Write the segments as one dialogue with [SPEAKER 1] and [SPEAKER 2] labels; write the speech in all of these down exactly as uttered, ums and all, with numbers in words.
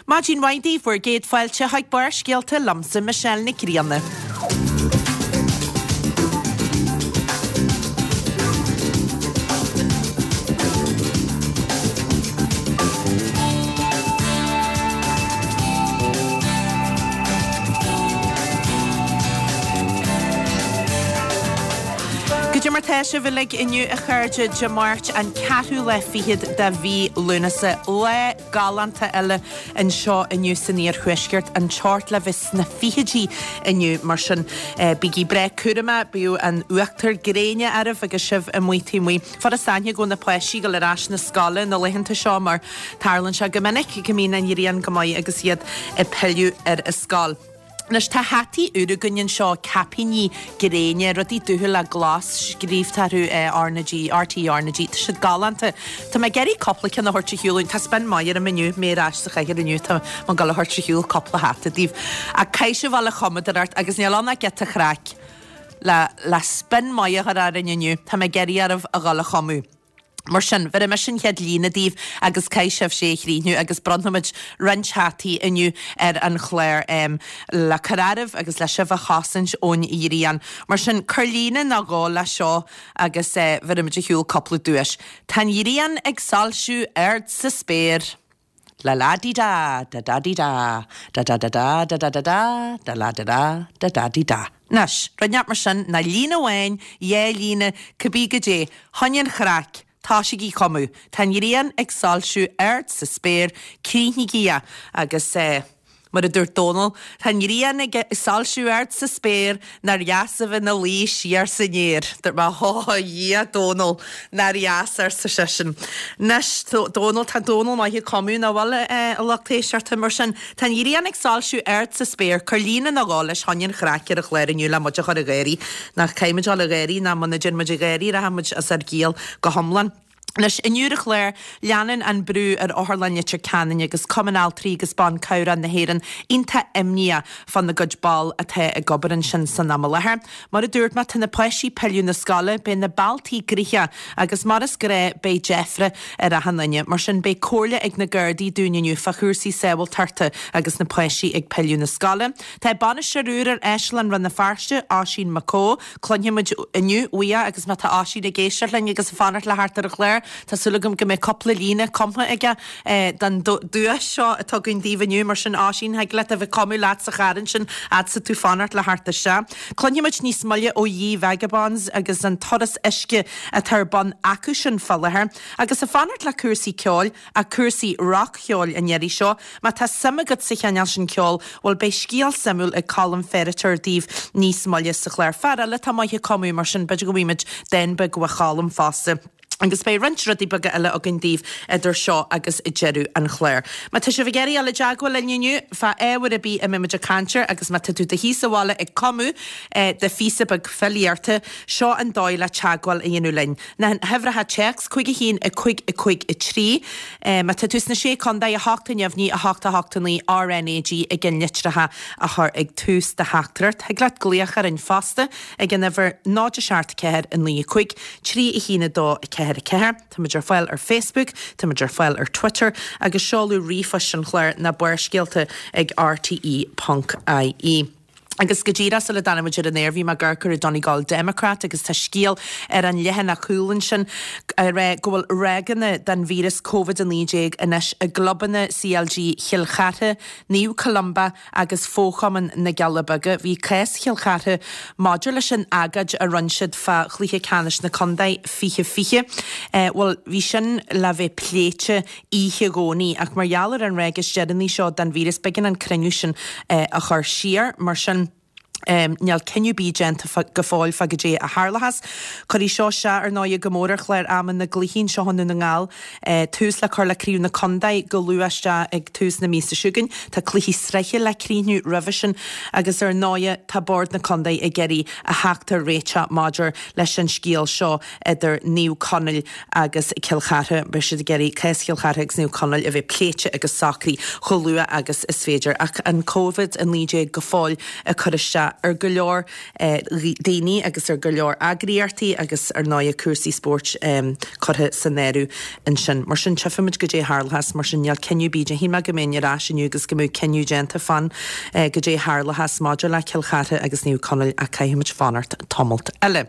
[SPEAKER 1] Maidin mhaith daoibh bhur gcéad fáilte chuig Barrscéalta liomsa Michelle Nic Grianna. Goidé mar tá sibh uilig inniu a chairde Dé Máirt an ceathrú lá fichead de mhí Lúnasa. Lá galánta eile anseo inniu san iarthuaisceart, an teocht le bheith sna fichidí inniu mar sin bígí breá cúramach, bíodh an uachtar gréine oraibh agus sibh amuigh taobh amuigh. Furas aithne go bhfuil na páistí ag dul ar ais na scoile na laethanta seo mar tarlaíonn sé go minic go mbíonn an ghrian go maith agus iad ag pilleadh ar an scoil. Anois tá hataí úra againn anseo, caipíní gréine, rudaí dubha le glas scríobhta orthu R na G, RTÉ R na G, tá siad galánta. Tá mé ag iarraidh cúpla ceann a thabhairt ar shiúl, tá spin maith orm inniu, mé ar ais sa chathair inniu, tá mé ag dul a thabhairt ar shiúl cúpla hata daoibh. Ach caithfidh sibh a dhul a chumadóireacht agus níl ann ach giota craic le le spin maith a chur orainn inniu, tá mé ag iarraidh oraibh a dhul a chumadh. Mar sin, bhéarfaidh mise an chéad líne daoibh agus caithfidh sibhse é a chríochnú agus bronnfaimid roinnt hataí inniu ar an chlár le cur oraibh agus le sibh a chosaint ón ghrian. Mar sin, cuir líne nó dhó leis seo agus bhéarfaimid ar shiúl cúpla duais. Tá an ghrian ag soilsiú ard sa spéir. La la di da, da da di da, da da da da da da da da, da la da da, da da di da. Anois, rud inteacht mar sin, ná líne amháin, dhá líne, cibé goidé, chun an chraic, tosaígí ag cumadh. Tá an ghrian ag soilsiú ard sa spéir, críochnaígí é agus eh, mar a dúirt Dónal, tá an ghrian ag soilsiú ard sa spéir, nár dheas a bheith ina luí siar san fhéar. Dúirt mé, Ó, a Dhia, Dónal, nár dheas, arsa seisean. Anois, Dónal, tá Dónal maith ag cumadh, nach bhfuil, a lucht éisteachta, mar sin, tá an ghrian ag soilsiú ard sa spéir, cuir líne nó dhó leis chun an chraic ar an chlár inniu le muid a chur ag gáirí. Nach caithfidh muid dul ag gáirí, ná muna dtéann muid ag gáirí, rachaidh muid as ár gciall go hiomlán. Anois, inniu ar an chlár, leanann an brú ar Otharlann Leitir Ceanainn agus Cumann Altraí agus Ban Cabhrach na hÉireann iontach imníoch fána gcuid ball atá ag obair ansin san am i láthair. Mar a dúirt mé, tá na páistí pilleadh na scoile, beidh na bealtaí gnoitheach agus mar is gnáth beidh deifre ar achan duine. Mar sin beidh comhairle ag na Gardaí dúinn inniu fá chúrsaí sábháilteachta agus na páistí ag pilleadh na scoile. Tá bainisteoir úr ar Áislann Rann na Feirste, Oisín Mac Cóil. Cluinfimid inniu uaidh agus má tá Oisín ag éisteacht linn agus ag fanacht le theacht ar an chlár, tá súil agam go mbeidh cúpla líne cumtha aige don duais seo atá againn daoibh inniu. Mar sin, Oisín, thig leat a bheith ag cumadh leat sa charr ansin fhad 's tá tú fanacht le theacht isteach. Cluinfimid níos moille ó Ye Vagabonds agus an turas uisce atá ar bun acu sin fá láthair. Agus ag fanacht le cúrsaí ceoil, ach cúrsaí rac-cheoil an iarraidh seo, má tá suim agat sa chineál sin ceoil, bhuel beidh scéal suimiúil ag Colm Ferriter daoibh níos moille sa chlár. Fear eile atá maith ag cumadh, mar sin b'fhéidir go bhfaighimid dán beag ó Cholm fosta. Agus beidh roinnt rudaí beaga eile againn daoibh idir seo agus deireadh an chláir. Má tá sibh ag iarraidh dul i dteagmháil linn inniu fá ábhar ar bith a mbeidh muid ag caint air agus má tá tú i do shuí sa bhaile ag cumadh do phíosa beag filíochta, seo an dóigh le teagmháil a dhéanamh linn. Na huimhreacha téacs, cúig a haon, a cúig, a cúig, a trí. Má tá tú sna Sé Contae, a hocht a neamhní, a hocht a hocht a naoi, RnaG ag an litreacha a chur ag tús do theachtaireacht. Thig leat glaoch orainn fosta ag an uimhir náid a seacht ceathair a naoi a cúig, trí a haon a dó a ceathair a ceathair. Táimid ar fáil ar Facebook, táimid ar fáil ar Twitter agus seoladh ríomhphoist an chláir ná Barrscéalta ag rte ponc ie. Agus go díreach sula dtáinig muid ar an aer bhí mé ag amharc ar an Donegal Democrat agus tá scéal ar an leathanach cúil ansin ag rá go bhfuil ráigeanna den víreas Covid a naoi déag anois i gclubanna CLG Chill Chartha, Naomh Columba agus Fo-Chumann na gCealla Beaga. Bhí cás Chill Chartha maidir leis an agóid a rinne siad fá chluiche ceannais na contae fiche fiche. Bhuel, bhí sin le bheith pléite oíche Dhomhnaigh ach mar gheall ar an ráig is deireanaí seo den víreas b'éigean an cruinniú sin a chur siar. Mar sin, níl cinneadh ar bith déanta go fóill fá goidé a tharlóchas. Cuirfidh seo isteach ar ndóigh go mór ar chlár ama na gcluichí anseo i nDún na nGall. Tús le cur le Craobh na Contae go luath isteach ag tús na míosa seo chugainn. Tá cluichí sraithe le críochnú roimhe sin agus ar ndóigh tá Bord na Contae ag iarraidh a theacht ar réiteach maidir leis an scéal seo idir Naomh Conaill agus Cill Chartha. Beidh siad ag iarraidh cás Chill Chartha agus Naomh Conaill a bheith pléite agus socraithe chomh luath agus is féidir. Ach an Covid a naoi déag go fóill ag cur isteach isteach ar go leor daoine agus ar go leor eagraíochtaí agus ar ndóigh cúrsaí spóirt curtha san áireamh ansin. Mar sin tchífimid goidé a tharlóchas, mar sin níl cinneadh ar bith déanta. Shíl mé go mbeinn ar ais inniu agus go mbeadh cinneadh déanta fán goidé a tharlóchas maidir le Cill Chartha agus Naomh Conaill ach caithfimid fanacht tamalt eile.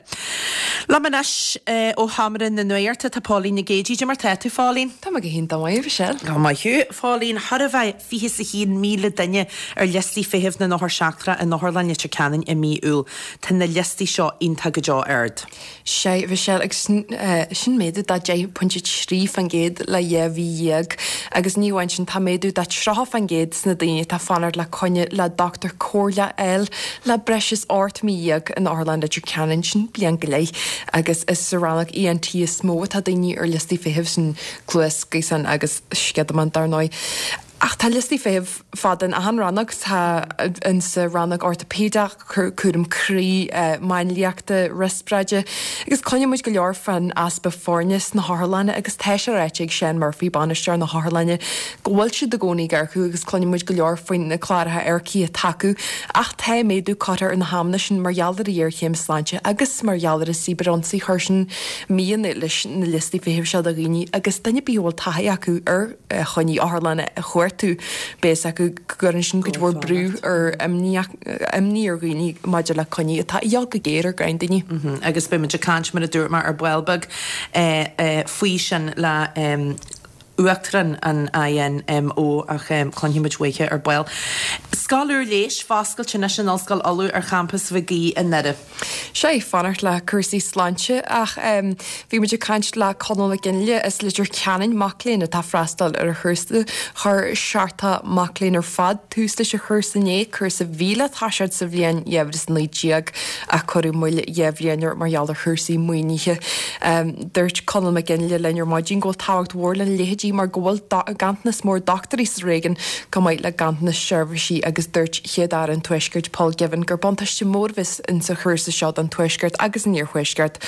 [SPEAKER 1] Liom anois ó Sheomra na Nuachta tá Póilín Nic Géidigh. Cad é mar tá tú, Phóilín?
[SPEAKER 2] Tá mé go hiontach maith, Michelle.
[SPEAKER 1] Go maith thú. Phóilín, chóir a bheith fiche is a haon míle duine ar liostaí feithimh na n-othar seachtrach in Otharlann Leitir Ceanainn i mí Iúil. Tá na liostaí seo iontach go deo ard.
[SPEAKER 2] Sea, Michelle, agus sin, sin méadú de deich pointe trí faoin gcéad le dhá mhí dhéag. Agus ní amháin sin, tá méadú de tríocha faoin gcéad sna daoine atá ag fanacht le coinne le dochtúir comhairleach a fháil le breis is ocht mí dhéag in Otharlann Leitir Ceanainn, sin bliain go leith. Agus is sa rannóg ENT is mó atá daoine ar liostaí feithimh, sin cluas, gaosán agus sciodamán dar ndóigh. Ach tá liostaí feithimh fada in achan rannóg, tá in sa rannóg ortaipéideach, cúram croí, máinliachta, riospráide. Agus cluineann muid go leor fán easpa foirne sna hotharlanna agus tá sé ráite ag Seán Murphy, bainisteoir na hotharlainne, go bhfuil siad i gcónaí ag earcú agus cluineann muid go leor faoin na cláracha earcaithe atá acu. Ach tá méadú curtha ar na hamanna sin mar gheall ar an ghéarchéim sláinte agus mar gheall ar an cibirionsaí. Chuir sin mian leis na liostaí feithimh seo do dhaoine agus duine ar bith a bhfuil taithí acu ar choinní otharlanna a chuartú, beidh fhios acu go gcuireann sin cuid mhór brú ar imní ar dhaoine maidir le coinní atá a dhíobháil go géar ar greim daoine.
[SPEAKER 1] Agus beidh muid ag caint, mar a dúirt mé, ar ball beag faoi sin le Uachtarán an INMO ach cluinfidh muid uaithi ar ball. Scoil úr leighis foscailte anois in Ollscoil Uladh ar champas Mhig Aoidh i nDoire.
[SPEAKER 2] Sea, fanacht le cúrsaí sláinte ach bhí muid ag caint le Conall Mac Fhionnghaile as Leitir Ceanainn, mac léinn atá ag freastal ar an chúrsa. Chuir seachtó mac léinn ar fad tús leis an chúrsa inné, cúrsa a bhí le toiseacht sa bhliain dhá mhíle is a naoi déag ach cuireadh moill dhá bhliain air mar gheall ar chúrsaí maoinithe. Dúirt Conall Mac Fhionnghaile linn ar maidin go bhfuil tábhacht mhór lena leithéidí mar go bhfuil ganntanas mór dochtúirí sa réigiún chomh maith le ganntanas seirbhísí agus dúirt Chéad-Aire an Tuaiscirt Paul Givan gur buntáiste mór a bheas insa chúrsa seo don Tuaisceart agus an Iarthuaisceart.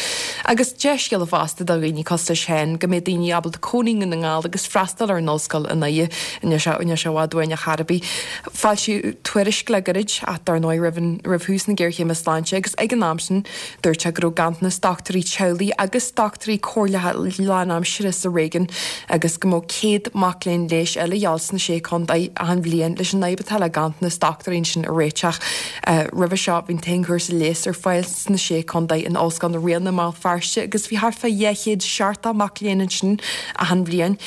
[SPEAKER 2] Agus dea-scéala fosta do dhaoine cosúil leis féin go mbeidh daoine ábalta cónaí i nDún na nGall agus freastal ar an ollscoil i nDoire. Níl sé i bhfad uainn ar chor ar bith. Foilsíodh tuairisc le gairid ach dar ndóigh roimh roimh thús na géarchéime sláinte agus ag an am sin dúirt sé go raibh ganntanas dochtúirí teaghlaigh agus dochtúirí comhairleacha lánaimseartha sa réigiún agus go mbeadh céad mac léinn leighis eile a dhíobháil sna Sé Chontae achan bhliain leis an fhadhb atá le ganntanas dochtúirí ansin a réiteach. Roimhe seo bhí an t-aon chúrsa leighis ar fáil sna Sé Chontae in Ollscoil na Ríona i mBéal Feirste agus bhí thart fá dhá chéad seachtó mac léinn ansin achan bhliain.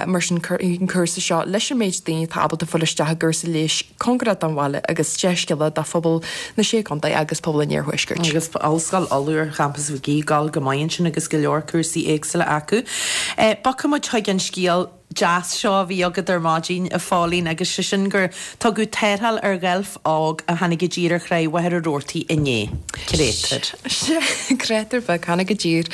[SPEAKER 2] Mar sin cuirfidh an cúrsa seo leis an méid daoine atá ábalta fáil isteach i gcúrsa leighis cóngarach don bhaile agus dea-scéala do phobal na Sé Chontae agus pobal an Iarthuaiscirt.
[SPEAKER 1] Agus Ollscoil Uladh ar champas Mhig Aoidh ag gabháil go maith ansin agus go leor cúrsaí éagsúla acu. Bogfaidh muid chuig an scéal deas seo a bhí agat ar maidin, a Phóilín, agus sé sin gur tugadh tarrtháil ar dheilf óg a tháinig i dtír ar thráigh Mhachaire Rabhartaigh inné. Créatúr.
[SPEAKER 2] Sea, créatúr beag, tháinig i dtír.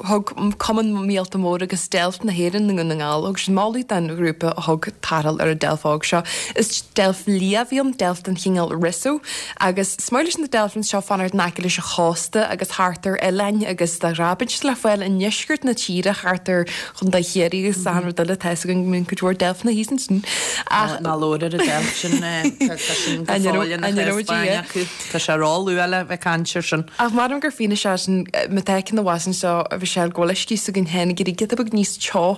[SPEAKER 2] Thug Cumann Míolta Móra agus Deilf na hÉireann i nDún na nGall, thug siad moladh don ghrúpa a thug tarrtháil ar an deilf óg seo. Is deilf liath a bhí ann, deilf den chineál Risso, agus is maith leis na deilfeanna seo fanacht in aice leis an chósta agus thart ar oileáin agus de ghnáth bíonn siad le fáil i ndeisceart na tíre thart ar Chontae Chiarraí agus achan rud eile, tá fhios againn go mbíonn cuid mhór deilfeanna thíos ansin.
[SPEAKER 1] Ach ná labhair ar an deilf sin, tá sin go fóill ina chás báin acu. Tá sé ró-luath le bheith ag caint air sin.
[SPEAKER 2] Ach measaim gur fianaise é sin, má tá ceann abhus anseo, a Mhichelle, go bhfuil uisce s'againn féin ag éirí giota beag níos teo.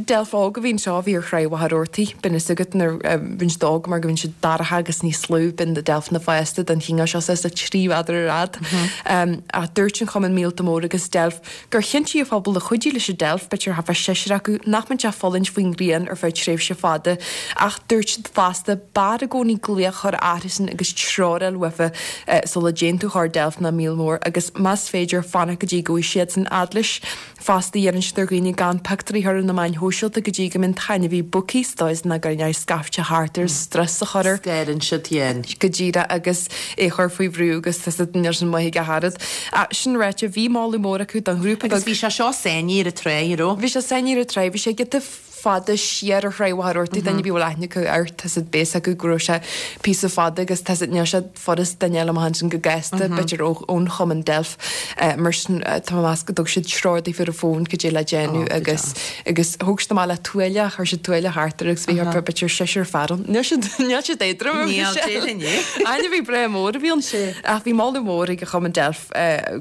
[SPEAKER 2] Deilf óg a bhí anseo a bhí ar thráigh Mhachaire Rabhartaigh. Bíonn fhios agat nuair a bhíonn siad óg mar go mbíonn siad dorcha agus níos lú, bíonn na deilfeanna fásta den chineál seo suas le trí mhéadar ar fhad. Ach dúirt an Cumann Míolta Móra agus Deilf gur chinntigh an phobal a chuidigh leis an deilf, b'fhéidir thart fá seisear acu, nach mbeadh sé ag fulaingt faoin ngrian ar feadh tréimhse fada. Ach dúirt siad fosta, b'fhearr i gcónaí glaoch a chur orthusan agus treoir a fháil uafa sula dtéann tú chor deilf ná míol mór agus más féidir fanacht go dtí go bhfaighidh siadsan fhad leis. Fosta iarrann siad ar dhaoine gan pictiúirí a chur ar na meáin shóisialta go dtí go mbeidh an t-ainmhí bogtha sa dóigh is nach gcuireann sé scaifte thart ar strus a chur air.
[SPEAKER 1] Scarann siad féin.
[SPEAKER 2] Go díreach agus é a chur faoi bhrú agus tá siad níl sin maith ag a oiread. Ach sin ráite, bhí moladh mór acu don ghrúpa
[SPEAKER 1] Agus bhí sé seo sáinnithe ar an tráigh, an raibh?
[SPEAKER 2] Bhí sé sáinnithe ar an tráigh, bhí sé giota fada siar ar Thráigh Mhachaire Rabhartaigh, duine ar bith a bhfuil aithne acu air, tá siad beidh a fhios acu go raibh sé píosa fada agus tá siad níl sé furast duine a fháil amach ansin go gasta, b'fhéidir ó ón chumann Deilf. Mar sin tá mé ag meas go dtug siad treoir daofa ar an bhfón cad é le déanamh agus agus thóg siad amach le tuáille, chuir siad tuáille thart air agus bhí thart fá b'fhéidir seisear fear ann. Níl siad níl siad éadrom.
[SPEAKER 1] Níl, déarfainn é.
[SPEAKER 2] Ainmhí breá mór a bhí ann. Ach bhí moladh mór ag an chumann Deilf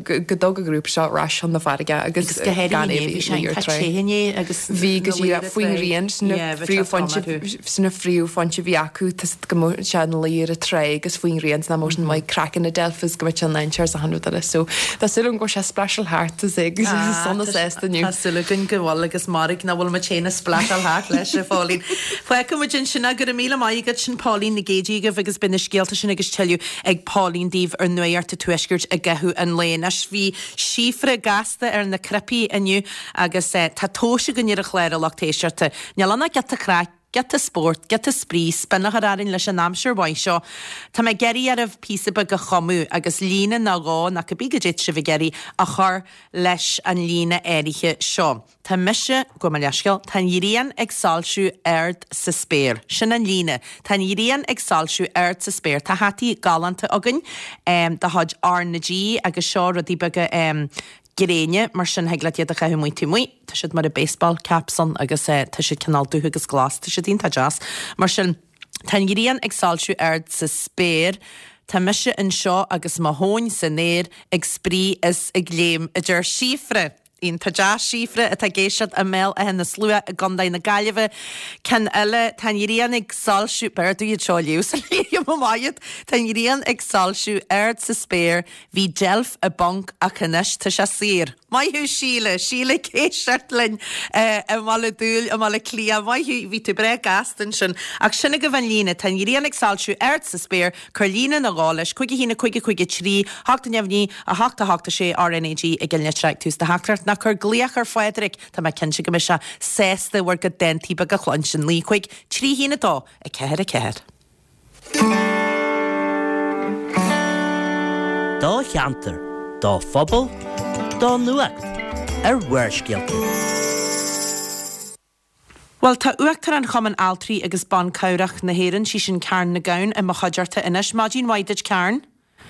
[SPEAKER 2] go dtug an grúpa seo ar ais chun na farraige agus
[SPEAKER 1] Agus go háirithe
[SPEAKER 2] gan é
[SPEAKER 1] inné,
[SPEAKER 2] a
[SPEAKER 1] bhí
[SPEAKER 2] bhí
[SPEAKER 1] sé
[SPEAKER 2] ar
[SPEAKER 1] iontach
[SPEAKER 2] trá.
[SPEAKER 1] te inné agus
[SPEAKER 2] Bhí go
[SPEAKER 1] na
[SPEAKER 2] díreach
[SPEAKER 1] laoire
[SPEAKER 2] faoin
[SPEAKER 1] trá.
[SPEAKER 2] ghrian, sin na
[SPEAKER 1] Yeah, bhí sé
[SPEAKER 2] phríomhphointe
[SPEAKER 1] trom orthu.
[SPEAKER 2] sin na phríomhphointe a bhí acu, tá go mbeadh sé ina luí ar an trá agus faoin ghrian, nach mbeadh sin maith craiceann na Deilf is go mbeadh sé in dainséar is achan rud eile. So tá súil agam go bhfuil sé splasháil thart is é agus sona sásta inniu.
[SPEAKER 1] Tá súil againn go bhfuil agus mairg nach bhfuil muid féin ag splasháil thart leis a Phauline. Fágfaidh muid ansin go raibh míle maith agat sin Pauline Nic Géidigh agaibh agus beidh na scéalta sin agus tuilleadh ag Pauline daoibh ar Nuacht an Tuaiscirt i gcaitheamh an lae. Anois bhí Síofra gasta ar na cnaipí inniu agus eh, tá tomhas againn ar an chlár a lucht éisteachta. Níl ann ach giota craic, giota spórt, giota spraoi, spin a chur orainn leis an aimsir mhaith seo. Tá mé ag iarraidh oraibh píosa beag a chumadh agus líne nó dhó nó cibé cad é sibh ag iarraidh a chur leis an líne áirithe seo. Tá mise gabh mo leithscéal, tá an ghrian ag soilsiú ard sa spéir. Sin an líne. Tá an ghrian ag soilsiú ard sa spéir. Tá hataí galánta againn um, de chuid R na G agus seo rudaí beaga um, gréine mar sin thig leat iad a chaitheamh amuigh taobh amuigh. Tá siad mar a baseball caps ann agus uh, tá siad cineál dubh agus glas, tá siad iontach deas. Mar sin tá an ghrian ag soilsiú ard sa spéir. Tá mise anseo agus mo thóin san aer ag spraoi is ag léim a deir Síofra. Iontach deas Síofra atá ag éisteacht i mBéal Átha na Slua i gContae na Gaillimhe. Ceann eile tá an ghrian ag soilsiú b'fhearr dom iad seo a léamh sa léim amach Tá an ghrian ag soilsiú ard sa spéir, bhí deilf i bponc ach anois tá sé saor. Maith thú Síle, Síle ag éisteacht linn i mBaile Dúill i mBaile Átha Cliath, maith thú bhí tú breá gasta ansin. Ach sin agaibh an líne, tá an ghrian ag soilsiú ard sa spéir, cuir líne nó dhó leis, cúig a haon a cúig a cúig a trí, hocht a neamh naoi, a hocht a hocht a sé RNAG i gCill na Trá tús do theachtaireacht ná cuir glaoch ar Phádraig, Tá mé cinnte go mbeidh sé sásta bhur gcuid dántaí beaga a chluinstin naoi cúig trí haon a dó a ceathair a ceathair.
[SPEAKER 3] Do cheantar, do phobal, do nuacht ar Bharrscéalta.
[SPEAKER 1] Well tá Uachtarán Chumann Altraí agus Ban Cabhrach na hÉireann sí sin Karen Nic Gabhann i mo chuideachta anois. Maidin mhaith duit Karen.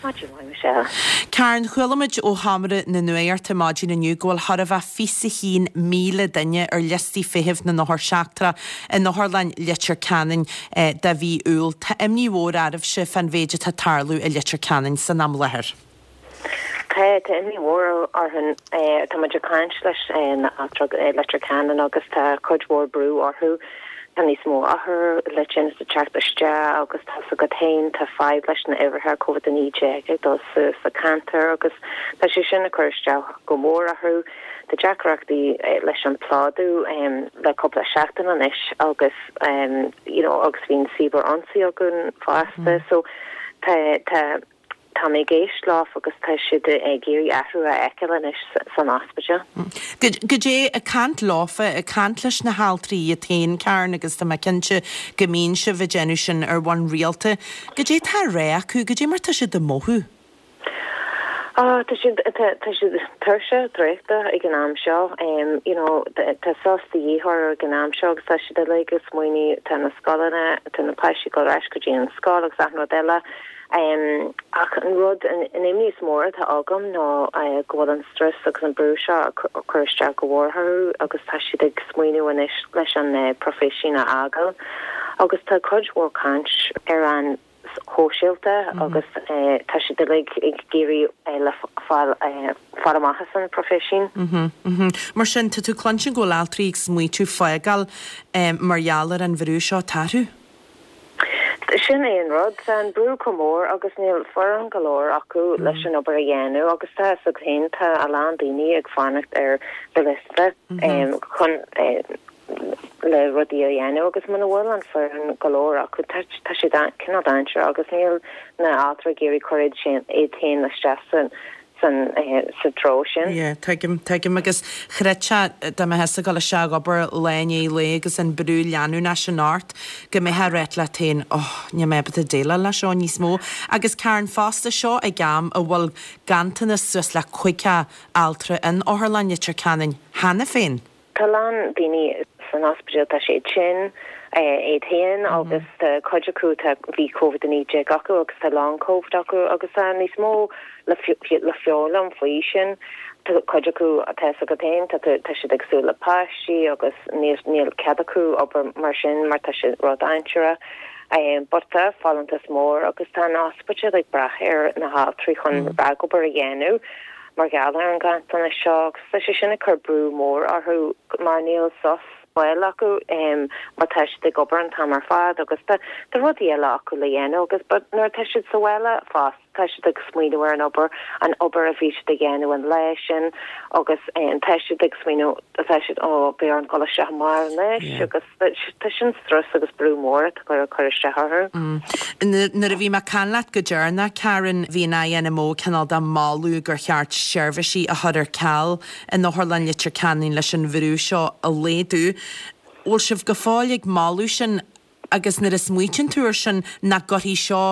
[SPEAKER 4] Maidin mhaith Michelle.
[SPEAKER 1] Karen chuala muid ó sheomra na nuachta maidin inniu go bhfuil thar a bheith fiche a haon míle duine ar liostaí feithimh na n-othar seachtrach in Otharlann Leitir Ceanainn eh, do mhí Iúil. Tá imní mhór oraibhse fán mhéid atá ag tarlú i Leitir Ceanainn san am láthair.
[SPEAKER 4] Tá tá imní mhór orainn tá muid ag caint leis na altraí Leitir Ceanainn agus tá cuid mhór brú orthu. Tá níos mó othar le tinneas ag teacht isteach agus tá go haon tá fadhb leis na huimhreacha COVID a naoi déag ag dul suas sa cheantar agus tá sé sin ag cur isteach go mór orthu. Tá deacrachtaí leis an plódú um, le cúpla seachtain anois agus um, you know, agus bhíonn cibear-ionsaí againn fosta mm. so tá tá tá mé ag éisteacht leo agus tá siad ag iarraidh athrú a fheiceáil anois san ospidéal.
[SPEAKER 1] Cad é ag caint leofa ag caint leis na haltraí iad féin Karen agus tá mé cinnte go mbíonn sibh ag déanamh sin ar bhonn rialta. Cad é tá á rá acu, cad é mar tá siad ag mothú.
[SPEAKER 4] Ah, tá siad tá siad tuirseach traochta ag an am seo um, you know, tá sos de dhíth ag an am seo agus tá siad uilig ag smaoineamh tá na scoileanna tá na páistí ag dul ar ais go dtí an scoil agus achan rud eile. Um, ach an rud an, an imní is mór atá agam ná uh, go bhfuil an stress agus an brú seo cur isteach go mór orthu agus tá siad ag smaoineamh anois leis an uh, proifisiún a fhágáil. Agus tá cuid mhór caint ar an shóisialta mm -hmm. agus uh, tá siad uilig ag iarraidh uh, le fáil uh, fáil amach as an proifisiún.
[SPEAKER 1] Mm -hmm, mm -hmm. Mar sin tá tú cluinstin go bhfuil altraí ag smaoitiú fágáil um, mar gheall ar an bhrú seo tarú?
[SPEAKER 4] Sin é an rud an brú chomh mór agus níl foireann go leor acu mm. leis an obair a dhéanamh agus tá sa féin tá a lán daoine ag fanacht ar de liosta mm -hmm. um, chun uh, le rudaí a dhéanamh agus muna bhfuil an foireann go leor acu tá sé cineál dainséarach agus níl na altraí ag iarraidh cur sin iad féin isteach san san sa treo sin.
[SPEAKER 1] Yeah, tuigim tuigim agus chreidfeá dá mbeifeá ag dul isteach ag obair lá i ndiaidh lae agus an brú leanúnach sin ort go mbeifeá ag rá leat féin oh, níl mé ábalta déileáil leis seo níos mó. Agus Karen fosta seo ag am a bhfuil ganntanas suas le caoga altra in Otharlann Leitir Ceanainn cheana féin.
[SPEAKER 4] Tá lán daoine san ospidéal tá siad tinn iad féin agus cuid acu tá bhí Covid a naoi déag acu agus tá long Covid acu agus tá níos mó le le foghlaim faoi sin. Tá cuid acu tá a fhios agat féin tá tá siad ag súil le páistí agus níl níl cead acu obair mar sin mar tá sé ródhainséarach. Um, but tá folúntas mór agus tá an ospidéal ag brath ar na haltraí chun ragobair a dhéanamh mar gheall ar an ganntanas seo agus tá sé sin ag cur brú mór orthu mar níl sos bhuel acu um, mar tá siad ag obair an t-am ar fad agus tá tá rudaí eile acu le dhéanamh agus but nuair tá siad sa bhaile fosta tá siad ag smaoineamh ar an obair an obair a bhí siad ag déanamh an lá sin agus um, tá siad ag smaoineamh tá siad ó beidh orm dul isteach amárach anois agus tá sin strus agus brú mór atá cur cur isteach orthu.
[SPEAKER 1] Mm. Nuair a bhí mé ag caint leat go deireanach Karen bhí an INMO cineál de moladh gur cheart seirbhísí a chur ar ceal in Otharlann Leitir Ceanainn leis an bhrú seo a laghdú. Bhfuil sibh go fóill ag moladh sin agus nuair a smaoiníonn tú air sin nach gcuirfidh seo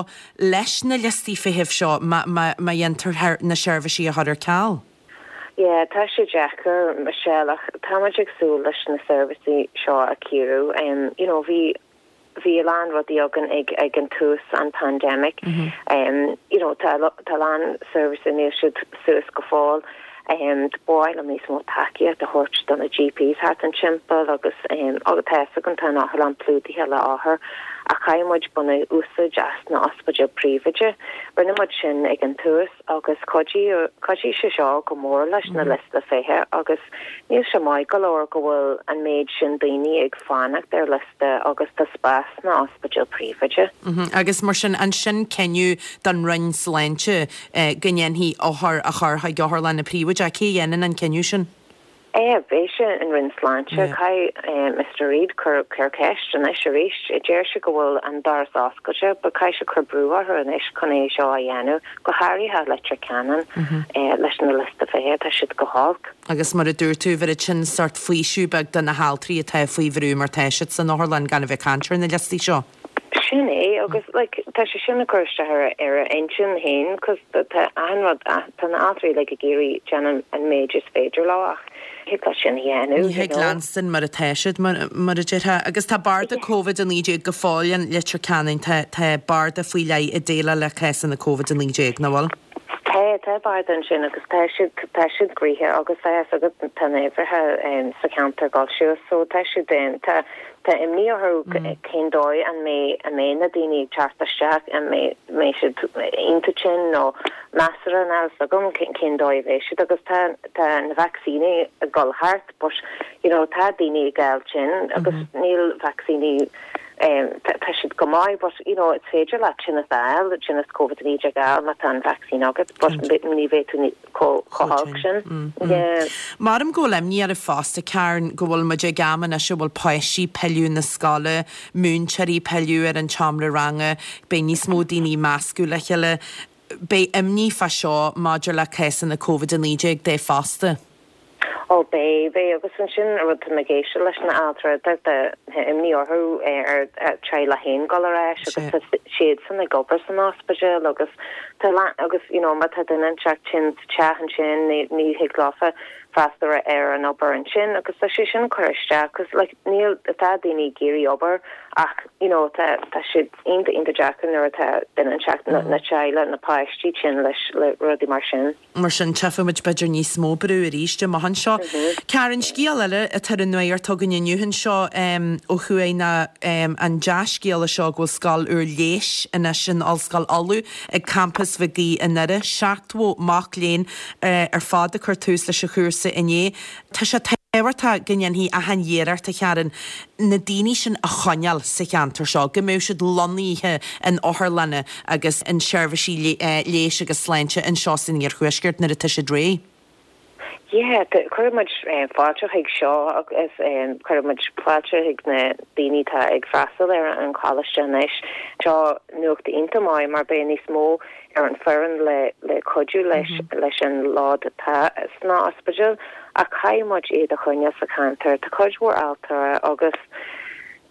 [SPEAKER 1] leis na liostaí feithimh seo má dhéantar na seirbhísí a chur ar ceal.
[SPEAKER 4] Yeah, tá sé deacair Michelle ach táimid ag súil leis na seirbhísí seo a chiorrú. Um, you know, bhí bhí a lán rudaí againn ag ag an tús an pandemic. Mm -hmm. um, you know, tá tá a lán seirbhísí níl siad suas go fóill. Um, b'fhearr liom níos mó tacaíocht a thabhairt do na GPs thart an timpeall agus um, agus tá an tá an otharlann plódaithe le hothair ach caithfidh muid baint úsáid as na ospidéil príobháideacha. Rinne muid sin ag an tús agus chuidigh sé seo go mór leis na liosta feithimh agus níl sé maith go leor go bhfuil an méid sin daoine ag fanacht ar liosta agus tá spás sna hospidéil príobháideacha.
[SPEAKER 1] Mm -hmm. Agus mar sin ansin cinneadh don Roinn Sláinte eh, go ndéanfaí othair a chur chuig otharlanna príobháideacha cé dhéanann an cinneadh sin?
[SPEAKER 4] É b'é sin an Roinn Sláinte caithfidh Mr Reid cur cur ceist anois arís deir sé go bhfuil an doras oscailte, ba caithfidh sé cur brú orthu anois chun é seo a dhéanamh go háirithe Leitir Ceanainn leis na liosta feithimh tá siad go holc.
[SPEAKER 1] Agus mar a dúirt tú bhí sin sórt faoiseamh beag do na haltraí atá faoi bhrú mar tá siad san otharlann gan a bheith ag caint ar na liostaí seo.
[SPEAKER 4] Sin é agus like, tá sé sin ag cur isteach ar ar a intinn féin cos tá an rud tá na haltraí like, ag iarraidh déanamh an méid is féidir leo ach thig leat sin a dhéanamh.
[SPEAKER 1] Ní thig leanstan mar atá siad mar a déarfá agus tá barda Covid a naoi déag go fóill in Leitir Ceanainn tá tá barda faoi leith ag déileáil le cásanna Covid a naoi déag nach bhfuil?
[SPEAKER 4] Tá tá barda ansin agus tá siad tá siad gnoitheach agus tá agus tá na huimhreacha sa cheantar dul suas so tá siad tá tá imní orthu cén dóigh an mbeidh an mbeidh na daoine ag teacht isteach an mbeidh mbeidh siad iontach tinn nó measartha níl a fhios agam cén dóigh a bheidh siad agus tá tá na vacsaíní ag dul thart but you know tá daoine ag fáil tinn agus níl vacsaíní um, tá siad go maith but you know it's féidir leat tinneas a fháil tinneas Covid naoi déag a fháil má tá an vaccine agat but ní bheidh tú chomh holc sin.
[SPEAKER 1] Maram go bhfuil imní oraibh fosta Karen go bhfuil muid ag am anois a bhfuil páistí pilleadh na scoile, múinteoirí pilleadh ar an tseomra ranga, beidh níos mó daoine measctha le chéile. Beidh imní fá seo maidir le cásanna Covid a naoi déag de fosta.
[SPEAKER 4] Ó beidh beidh agus ansin rud tá mé ag éisteacht leis na haltraí tá imní orthu ar teaghlaigh féin dul ar ais agus tá siadsan ag obair san ospidéal agus tá agus you know má tá duine inteacht tinn sa teach ansin ní ní thig leofa freastal ar an obair ansin agus tá sé sin cur isteach cos like níl tá daoine ag iarraidh obair ach you know tá tá siad iontach iontach deacair nuair atá duine inteacht na na teaghlaigh na páistí tinn leis le rudaí mar sin.
[SPEAKER 1] Mar sin tchífimid b'fhéidir níos mó brú arís amach anseo. Karen scéal eile atá ar an nuacht againn inniu anseo ó thuaidh ná an dea-scéal seo go bhfuil scoil úr leighis anois in Ollscoil Uladh ag campas Mhig Aoidh i nDoire, seachtó mac léinn ar fad ag cur tús leis an chúrsa inné. Tá sé tábhachtach go ndéanfaí achan iarracht a Karen na daoine sin a choinneáil sa cheantar seo, go mbeadh siad lonnaithe in otharlanna agus in seirbhísí leighis agus sláinte anseo san iarthuaisceart nuair atá siad réidh.
[SPEAKER 4] Yeah, chuir muid fáilte chuig seo agus chuir muid fáilte chuig na daoine atá ag freastal ar an choláiste anois. Seo nuacht iontach maith mar beidh níos mó ar an foireann le le cuidiú leis leis an lód atá sna ospidéil ach caithfidh muid iad a choinneáil sa cheantar. Tá cuid mhór altra agus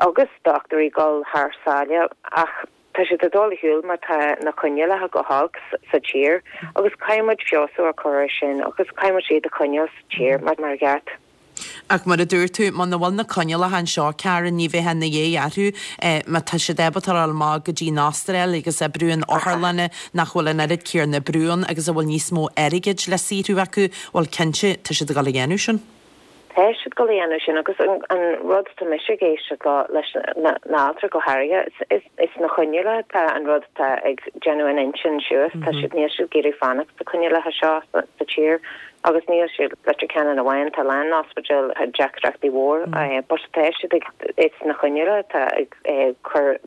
[SPEAKER 4] agus dochtúirí ag dul thar sáile ach tá siad ag dul ar shiúl mar tá na coinníollacha go holc sa tír agus caithfidh muid feabhsú a chur air sin agus caithfidh muid iad a choinneáil sa tír mar mar cheart.
[SPEAKER 1] Ach mar a dúirt tú, muna bhfuil na coinníollacha anseo, Karen, ní bheifeá ina dhiaidh orthu má tá siad ábalta a dhul amach go dtí an Astráil agus oibriú in otharlanna nach bhfuil an oiread céanna brú ann agus a bhfuil níos mó airgid le saothrú acu, bhuel cinnte, tá siad ag dul a dhéanamh sin.
[SPEAKER 4] Tá siad ag dul a dhéanamh sin agus an rud tá mise ag éisteacht leo leis na altraí go háirithe is is na coinníollacha atá an rud atá ag déanamh an intinn suas tá siad níl siad ag iarraidh fanacht sna coinníollacha seo sa tír agus níl siad Leitir Ceanainn amháin tá lán ospidéal deacrachtaí mhór but tá siad ag is na coinníollacha atá ag cur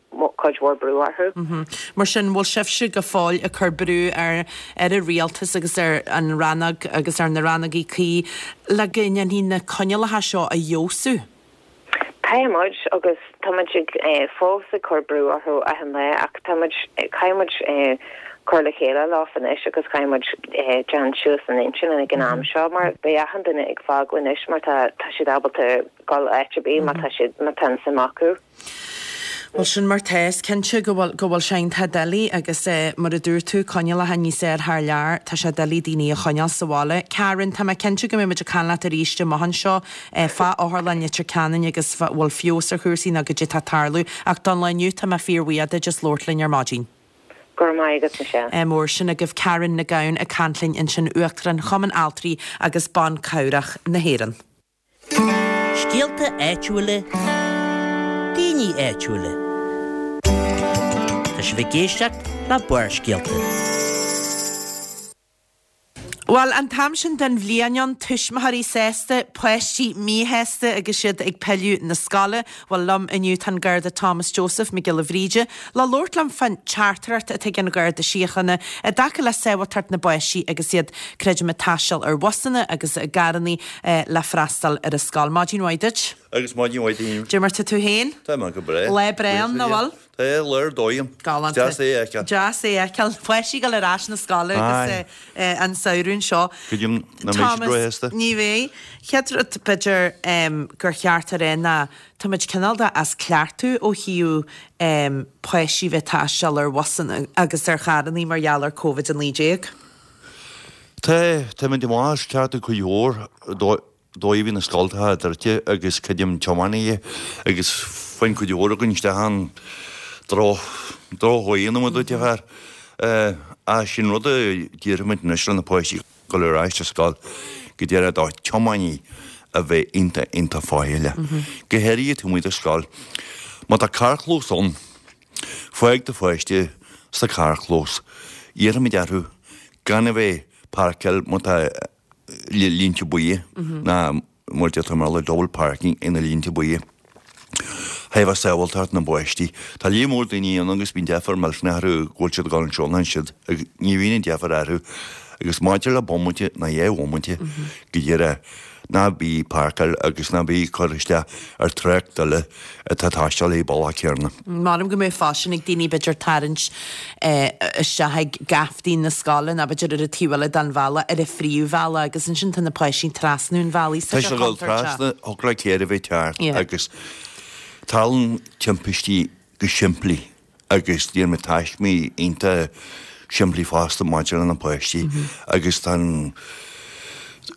[SPEAKER 4] cuid mhór brú orthu.
[SPEAKER 1] Mar sin bhfuil sibhse go fóill ag cur brú ar ar an rialtas agus ar an rannóg agus ar na rannógaí cuí le go ndéanfaí na coinníollacha seo a fheabhsú?
[SPEAKER 4] Tá muid agus tá muid ag fós ag cur brú orthu achan lá ach tá muid caithfidh muid cur le chéile leo anois agus caithfidh muid déanamh suas an intinn ag an am seo mar beidh achan duine ag fágáil anois mar tá tá siad ábalta dul áit ar bith má tá siad má tá an suim acu.
[SPEAKER 1] Bhuel sin mar tá is cinnte go bhfuil go bhfuil sé iontach doiligh agus eh, mar a dúirt tú coinníollacha níos fearr thar lear, tá sé doiligh daoine a choinneáil sa bhaile. Karen, tá mé cinnte go mbeidh muid ag caint leat arís amach anseo eh, fá otharlann Leitir Ceanainn agus bhfuil feabhas ar chúrsaí nó goidé tá ag tarlú ach don lá inniu tá mé fíorbhuíoch duit as labhairt linn ar maidin.
[SPEAKER 4] Go raibh maith agat Michelle.
[SPEAKER 1] Eh, mór sin agaibh Karen Nic Gabhann ag caint linn ansin Uachtarán Chumann Altraí agus Ban Cabhrach na hÉireann.
[SPEAKER 3] Scéalta áitiúla, daoine áitiúla. Tá sibh ag éisteacht le Barrscéalta.
[SPEAKER 1] Bhuel an t-am sin den bhliain ann tuismitheoirí sásta, páistí míshásta agus siad ag pilleadh na scoile, bhuel liom inniu tá an Garda Thomas Joseph Mac Giolla Bhríde, le labhairt liom fán teachtaireacht atá ag an Gharda Síochána i dtaca le sábháilteacht na bpáistí agus iad creidim ag taisteal ar bhusanna agus i gcarranna eh, le freastal ar an scoil. Maidin mhaith duit.
[SPEAKER 5] Agus maidin mhaith duit.
[SPEAKER 1] Cad é mar tá tú féin?
[SPEAKER 5] Tá mé go breá.
[SPEAKER 1] Lá breá ann, nach bhfuil?
[SPEAKER 5] Tá lá ar dóigh.
[SPEAKER 1] Galánta.
[SPEAKER 5] Deas é a fheiceáil.
[SPEAKER 1] Deas é a fheiceáil. Páistí ag dul ar ais na scoile agus
[SPEAKER 5] Aye.
[SPEAKER 1] eh, an samhradh seo.
[SPEAKER 5] Creidim nach mbeidh siad róshásta.
[SPEAKER 1] Ní bheidh. Chéad rud b'fhéidir em, gur cheart a rá ná tá muid cineál de as cleachtadh ó thaobh em, páistí bheith taisteal ar bhusanna agus ar charranna mar gheall ar Covid a naoi déag.
[SPEAKER 5] Tá tá muid amach as cleachtadh cuid mhór dóigh a bhí na scoltacha druidte agus creidim tiománaithe agus bhain cuid mhór againn isteach an droch drochdhóigh na muid fear. A sin rud a déarfaimid anois le na páistí dul ar ais ar scoil go deireadh do tiománaí a bheith iontach iontach faichilleach. Go háirithe taobh amuigh de scoil. Má tá carrchlós ann, fág do pháiste sa carrchlós. Iarraimid orthu gan a bheith páirceáil má tá línte buí ná mar deirtear mar le double parking ina línte buí. Thaobh sábháilteacht na bpáistí. Tá líon mór daoine ann agus bíonn deifir millteanach orthu go bhfuil siad ag dul anseo ná ansiúd agus ní bhíonn an deifir orthu agus maidir le bomaite ná dhá bhomaite go deireadh ná bí páirceáil agus ná bí cur isteach ar trácht eile atá ag taisteal ar an bealach céanna.
[SPEAKER 1] Maram go mbeidh faisean ag daoine b'fhéidir tarraingt eh, isteach ag geaftaí na scoile ná b'fhéidir ar an taobh eile den bhealach ar an phríomhbhealach agus ansin tá na páistí trasna an bhealaigh
[SPEAKER 5] Tá sé dul trasna thógla céir a bheith teart
[SPEAKER 1] Yeah.
[SPEAKER 5] agus tarlaíonn timpistí go simplí agus déan mé taismí iontach simplí fosta maidir le na páistí agus tá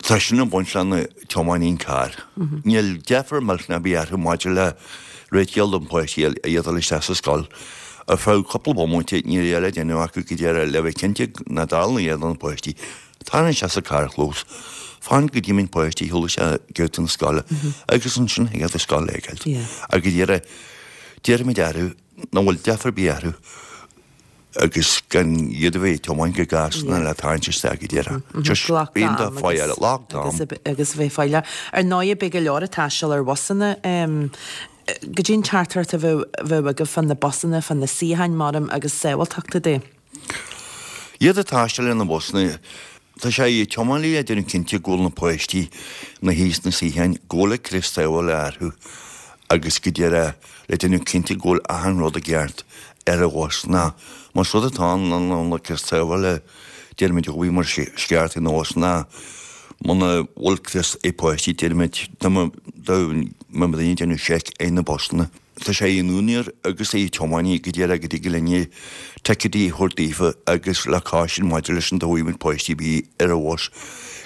[SPEAKER 5] tá sin ag baint le na tiománaí carr. Níl deifir millteanach ar bith orthu maidir le réiteáil don páistí a iad isteach sa scoil. Ar feadh cúpla bomaite níl eile déanamh acu go deireadh le bheith cinnte nach dtarlaíonn iad na páistí. Tá sé sa carrchlós. Fan go dtí an páistí thula sé go na scoile agus ansin ag a scoil éigelt.
[SPEAKER 1] Yeah.
[SPEAKER 5] Agus deireadh déarfaimid orthu nach bhfuil deifir ar bith orthu agus gan iad a bheith tiomáint go gasta le tarraingt isteach go deireadh. Just bíonn fáil lockdown.
[SPEAKER 1] agus agus bheith faichilleach. Ar ndóigh beidh go leor ag taisteal ar bhusanna um, go dtí'n teachtaireacht a bheith bheith agaibh fan na busanna fan na suíocháin maram agus sábháilteachta de.
[SPEAKER 5] Iad ag taisteal ar na busanna Tá sé i tiománaí a déanamh cinnte go bhfuil na páistí na thíos na suíocháin go bhfuil crios sábhála orthu agus go deireadh le déanamh cinnte go bhfuil achan rud i gceart ar an bhus ná más rud atá ann an le crios sábhála déarfaimid go bhí mar sceart in bhus ná muna bhfuil crios ag páistí déarfaimid dá mba daoine déanamh seic ar na busanna. tá sé ar an úinéir agus ar an tiománaí go díreach go dtig linne ticéidí a thabhairt daofa agus le caution maidir leis an dá bhfuil páistí bith ar an bhus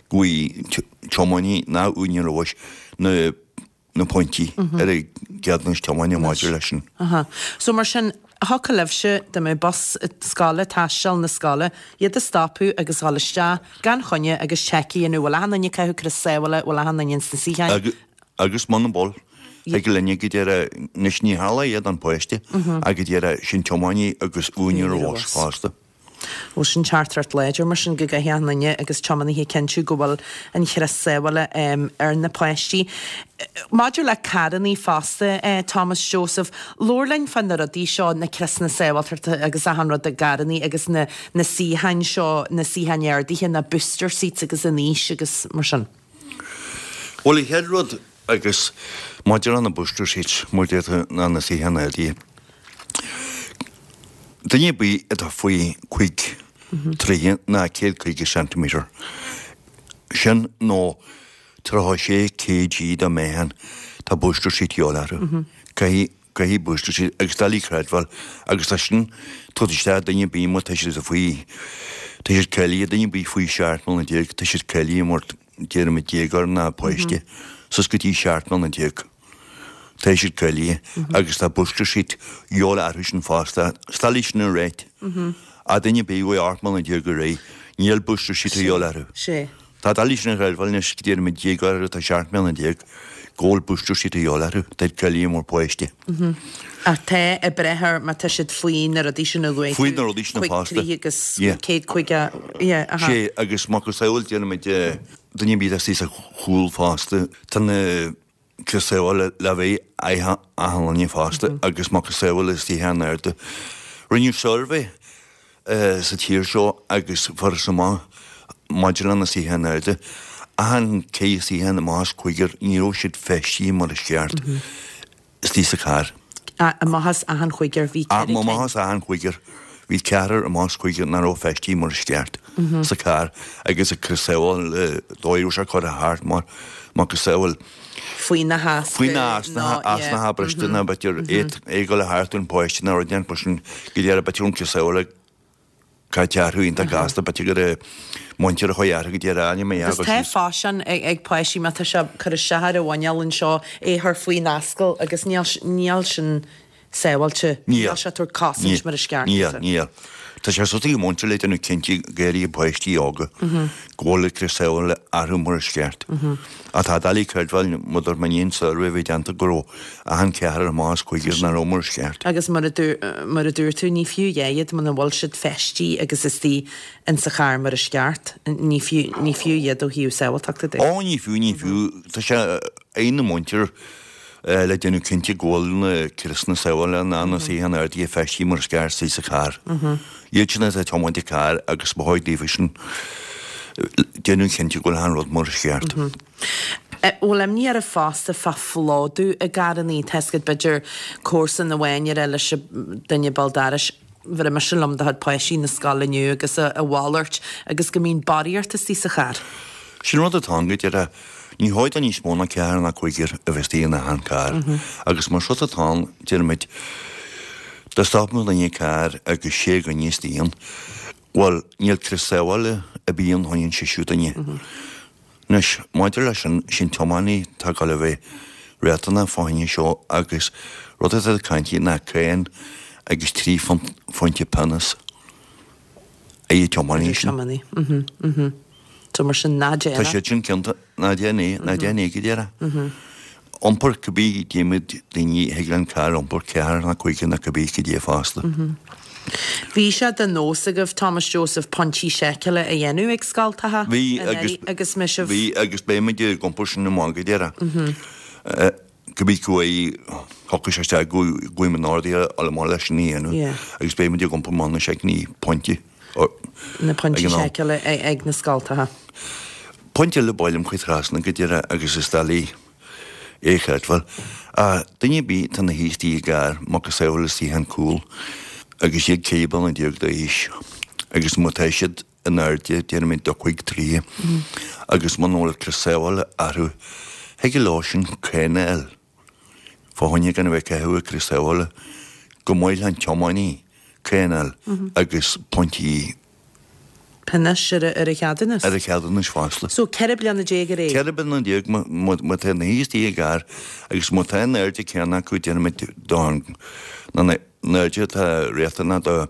[SPEAKER 5] go bhfaighidh tiománaí ná úinéir an bhus na na pointí ar a gceadúnas tiomána maidir leis sin.
[SPEAKER 1] Aha. So mar sin, thiocfadh libhse dá mbeadh bus scoile, taisteal na scoile, iad a stopadh agus dhul isteach gan choinne agus check a dhéanamh, bhfuil achan duine ag caitheamh crios sábhála, bhfuil achan duine ins na suíocháin?
[SPEAKER 5] Agus muna bhfuil, thig linne go díreach, anois ní tharlóidh é don pháiste, ach go díreach sin tiománaí agus úinéir an bhus fosta.
[SPEAKER 1] Bhuel, sin teachtaireacht láidir mar sin go gcaithfidh achan duine agus tiománaithe cinntiú go bhfuil an chrios sábhála ar na páistí. Maidir le carrannaí fosta, Thomas Joseph, labhair linn fá na rudaí seo, na criosanna sábháilteachta agus achan rud i gcarrannaí agus na na suíocháin seo, na suíocháin ardaithe, na booster seats agus an aois agus mar sin.
[SPEAKER 5] Bhuel, an chéad rud agus maidir le na booster seats, mar a deir tú, ná na suíocháin ardaithe. Duine ar bith atá faoi cúig troighe ná céad caoga ceintiméadar, sin nó tríocha sé kg de mheáchan, tá booster seat de dhíobháil orthu. Caithfidh, caithfidh booster seat agus doiligh a chreidbheáil agus tá sin tugtha isteach duine ar bith má tá siad faoi, tá siad cáilithe, duine ar bith faoi seacht mbliana déag, tá siad cáilithe mar déarfaimid déagóir ná páiste, suas go dtí seacht mbliana déag. Tá siad cáilithe agus tá booster seat de dhíobháil orthu sin fosta. Is doiligh sin a ráit. Ach duine ar bith faoi ocht mbliana déag ar aghaidh, níl booster seat de dhíobháil orthu.
[SPEAKER 1] Sé.
[SPEAKER 5] Tá doiligh sin a chreidbheáil anois go déarfaimid déagóir atá seacht mbliana déag go bhfuil booster seat de dhíobháil orthu. Tá siad cáilithe mar páiste.
[SPEAKER 1] Ach tá ag breith ar má tá siad faoi na rudaí sin a luaigh tú.
[SPEAKER 5] Faoi na rudaí sin
[SPEAKER 1] Cúig
[SPEAKER 5] fosta.
[SPEAKER 1] troighe agus
[SPEAKER 5] Yeah.
[SPEAKER 1] céad caoga, yeah, aha.
[SPEAKER 5] Sé, agus macasamhail déarfaimid duine ar bith atá istigh sa chúl fosta, tá na crios sábhála le bheith ag achan duine fosta agus macasamhail istigh in airde. Rinneadh suirbhé sa tír seo agus fuarthas amach maidir le na suíocháin arda, achan ceithre suíochán amach as cúigear ní raibh siad feistithe mar is ceart istigh sa charr.
[SPEAKER 1] Amach as achan chúigear bhí ceithre cinn.
[SPEAKER 5] Amach as achan chúigear bhí ceathrar amach as cúigear nach raibh feistithe mar is ceart sa charr agus an crios sábhála dóigh a raibh sé curtha thart mar macasamhail
[SPEAKER 1] Faoi na heasca.
[SPEAKER 5] Faoi na heasnacha briste nó b'fhéidir é ag dul thart ar an pháiste nó rud éigin mar sin go deireadh b'fhéidir an crios sábhála caite orthu iontach gasta b'fhéidir go raibh muintir a chuaigh orthu go deireadh ainm a
[SPEAKER 1] Agus tá faisean ag páistí má tá sé cur isteach ar a mhuineál anseo é a chur faoin ascaill agus níl níl sin sábháilte.
[SPEAKER 5] Níl.
[SPEAKER 1] Níl sé ag tabhairt cosaint mar is ceart.
[SPEAKER 5] Níl, níl. Tá sé suas ag an múinteoir le déanamh cinnte go háirithe páistí óga go bhfuil an crios sábhála orthu mar is ceart. Ach tá doiligh a chreidbheáil maidir mar an suirbhé a bhí déanta go raibh achan ceathrar amach as cúigear nach raibh mar is ceart.
[SPEAKER 1] Agus mar a mar a dúirt tú, ní fiú a dhath iad muna bhfuil siad feistithe agus istigh in sa charr mar is ceart. Ní fiú ní fiú iad ó thaobh sábháilteachta de.
[SPEAKER 5] Ó ní fiú, ní fiú. Tá sé ar an múinteoir le déanamh cinnte go bhfuil na criosanna sábhála ná na suíocháin ardaithe feistithe mar is ceart istigh sa charr. Iad sin atá ag tiomáint an carr agus ba chóir daofa sin déanamh cinnte go bhfuil achan rud mar is ceart.
[SPEAKER 1] Bhfuil imní oraibh fosta fá phlódú i gcarrannaí, tá a fhios agat b'fhéidir comharsan amháin a rá leis an duine béal dorais, bhéarfaidh mise liom do chuid páistí na scoile inniu agus a mhalairt agus go mbíonn barraíocht istigh sa charr.
[SPEAKER 5] Sin rud atá ann go deireadh. Ní chóir do níos mó ná ceathrar ná cúigear a bheith istigh in achan carr. Agus más rud atá ann, déarfaimid, dá stopfadh duine carr agus sé dhuine istigh ann, bhuel, níl crios sábhála ar bith ann chun an seisiú duine. Anois, maidir leis sin, sin tiománaí atá ag dul a bheith riachtanach fá choinne seo agus rud atá ag caint ná cáin agus trí phointe pionós ar an tiománaí
[SPEAKER 1] sin. Tiománaí, mhm, mhm. So mar sin ná déan
[SPEAKER 5] é. Tá siad sin ciontach, ná déan é, ná déan é go deireadh. Iompar cibé déarfaimid daoine thig le an carr iompar ceathrar ná cúigear ná cibé cad é fosta.
[SPEAKER 1] Bhí sé de nós agaibh Thomas Joseph pointí seiceála a dhéanamh ag scoltacha
[SPEAKER 5] Bhí agus
[SPEAKER 1] agus mise
[SPEAKER 5] Bhí agus beimid ag iompar sin amach go deireadh. Cibé go bhfaighidh thiocfadh sé isteach go bhfuil in airde a amach leis sin a dhéanamh agus beimid ag iompar amach na seiceanna pointí.
[SPEAKER 1] Na pointí seiceála ag na scoltacha.
[SPEAKER 5] Pointe eile ba mhaith liom a chur trasna go deireadh agus is doiligh é a chreidbheáil. Duine ar bith atá ina shuí istigh i gcarr, macasamhail istigh an cúl agus iad ceithre bliana déag d'aois agus má tá siad in airde déarfaimid do cúig troighe agus muna bhfuil crios sábhála orthu, thig leo sin cáin a fháil. fá choinne gan a bheith ag caitheamh an crios sábhála, go maith le an tiománaí coinneáil agus pointí
[SPEAKER 1] Pionóis ar a cheadúnas.
[SPEAKER 5] Ar a cheadúnas fosta.
[SPEAKER 1] So ceithre bliana déag ar aghaidh?
[SPEAKER 5] Ceithre bliana déag má tá na haois i gcarr agus má tá an airde céanna acu déanaimid don na airde atá riachtanach do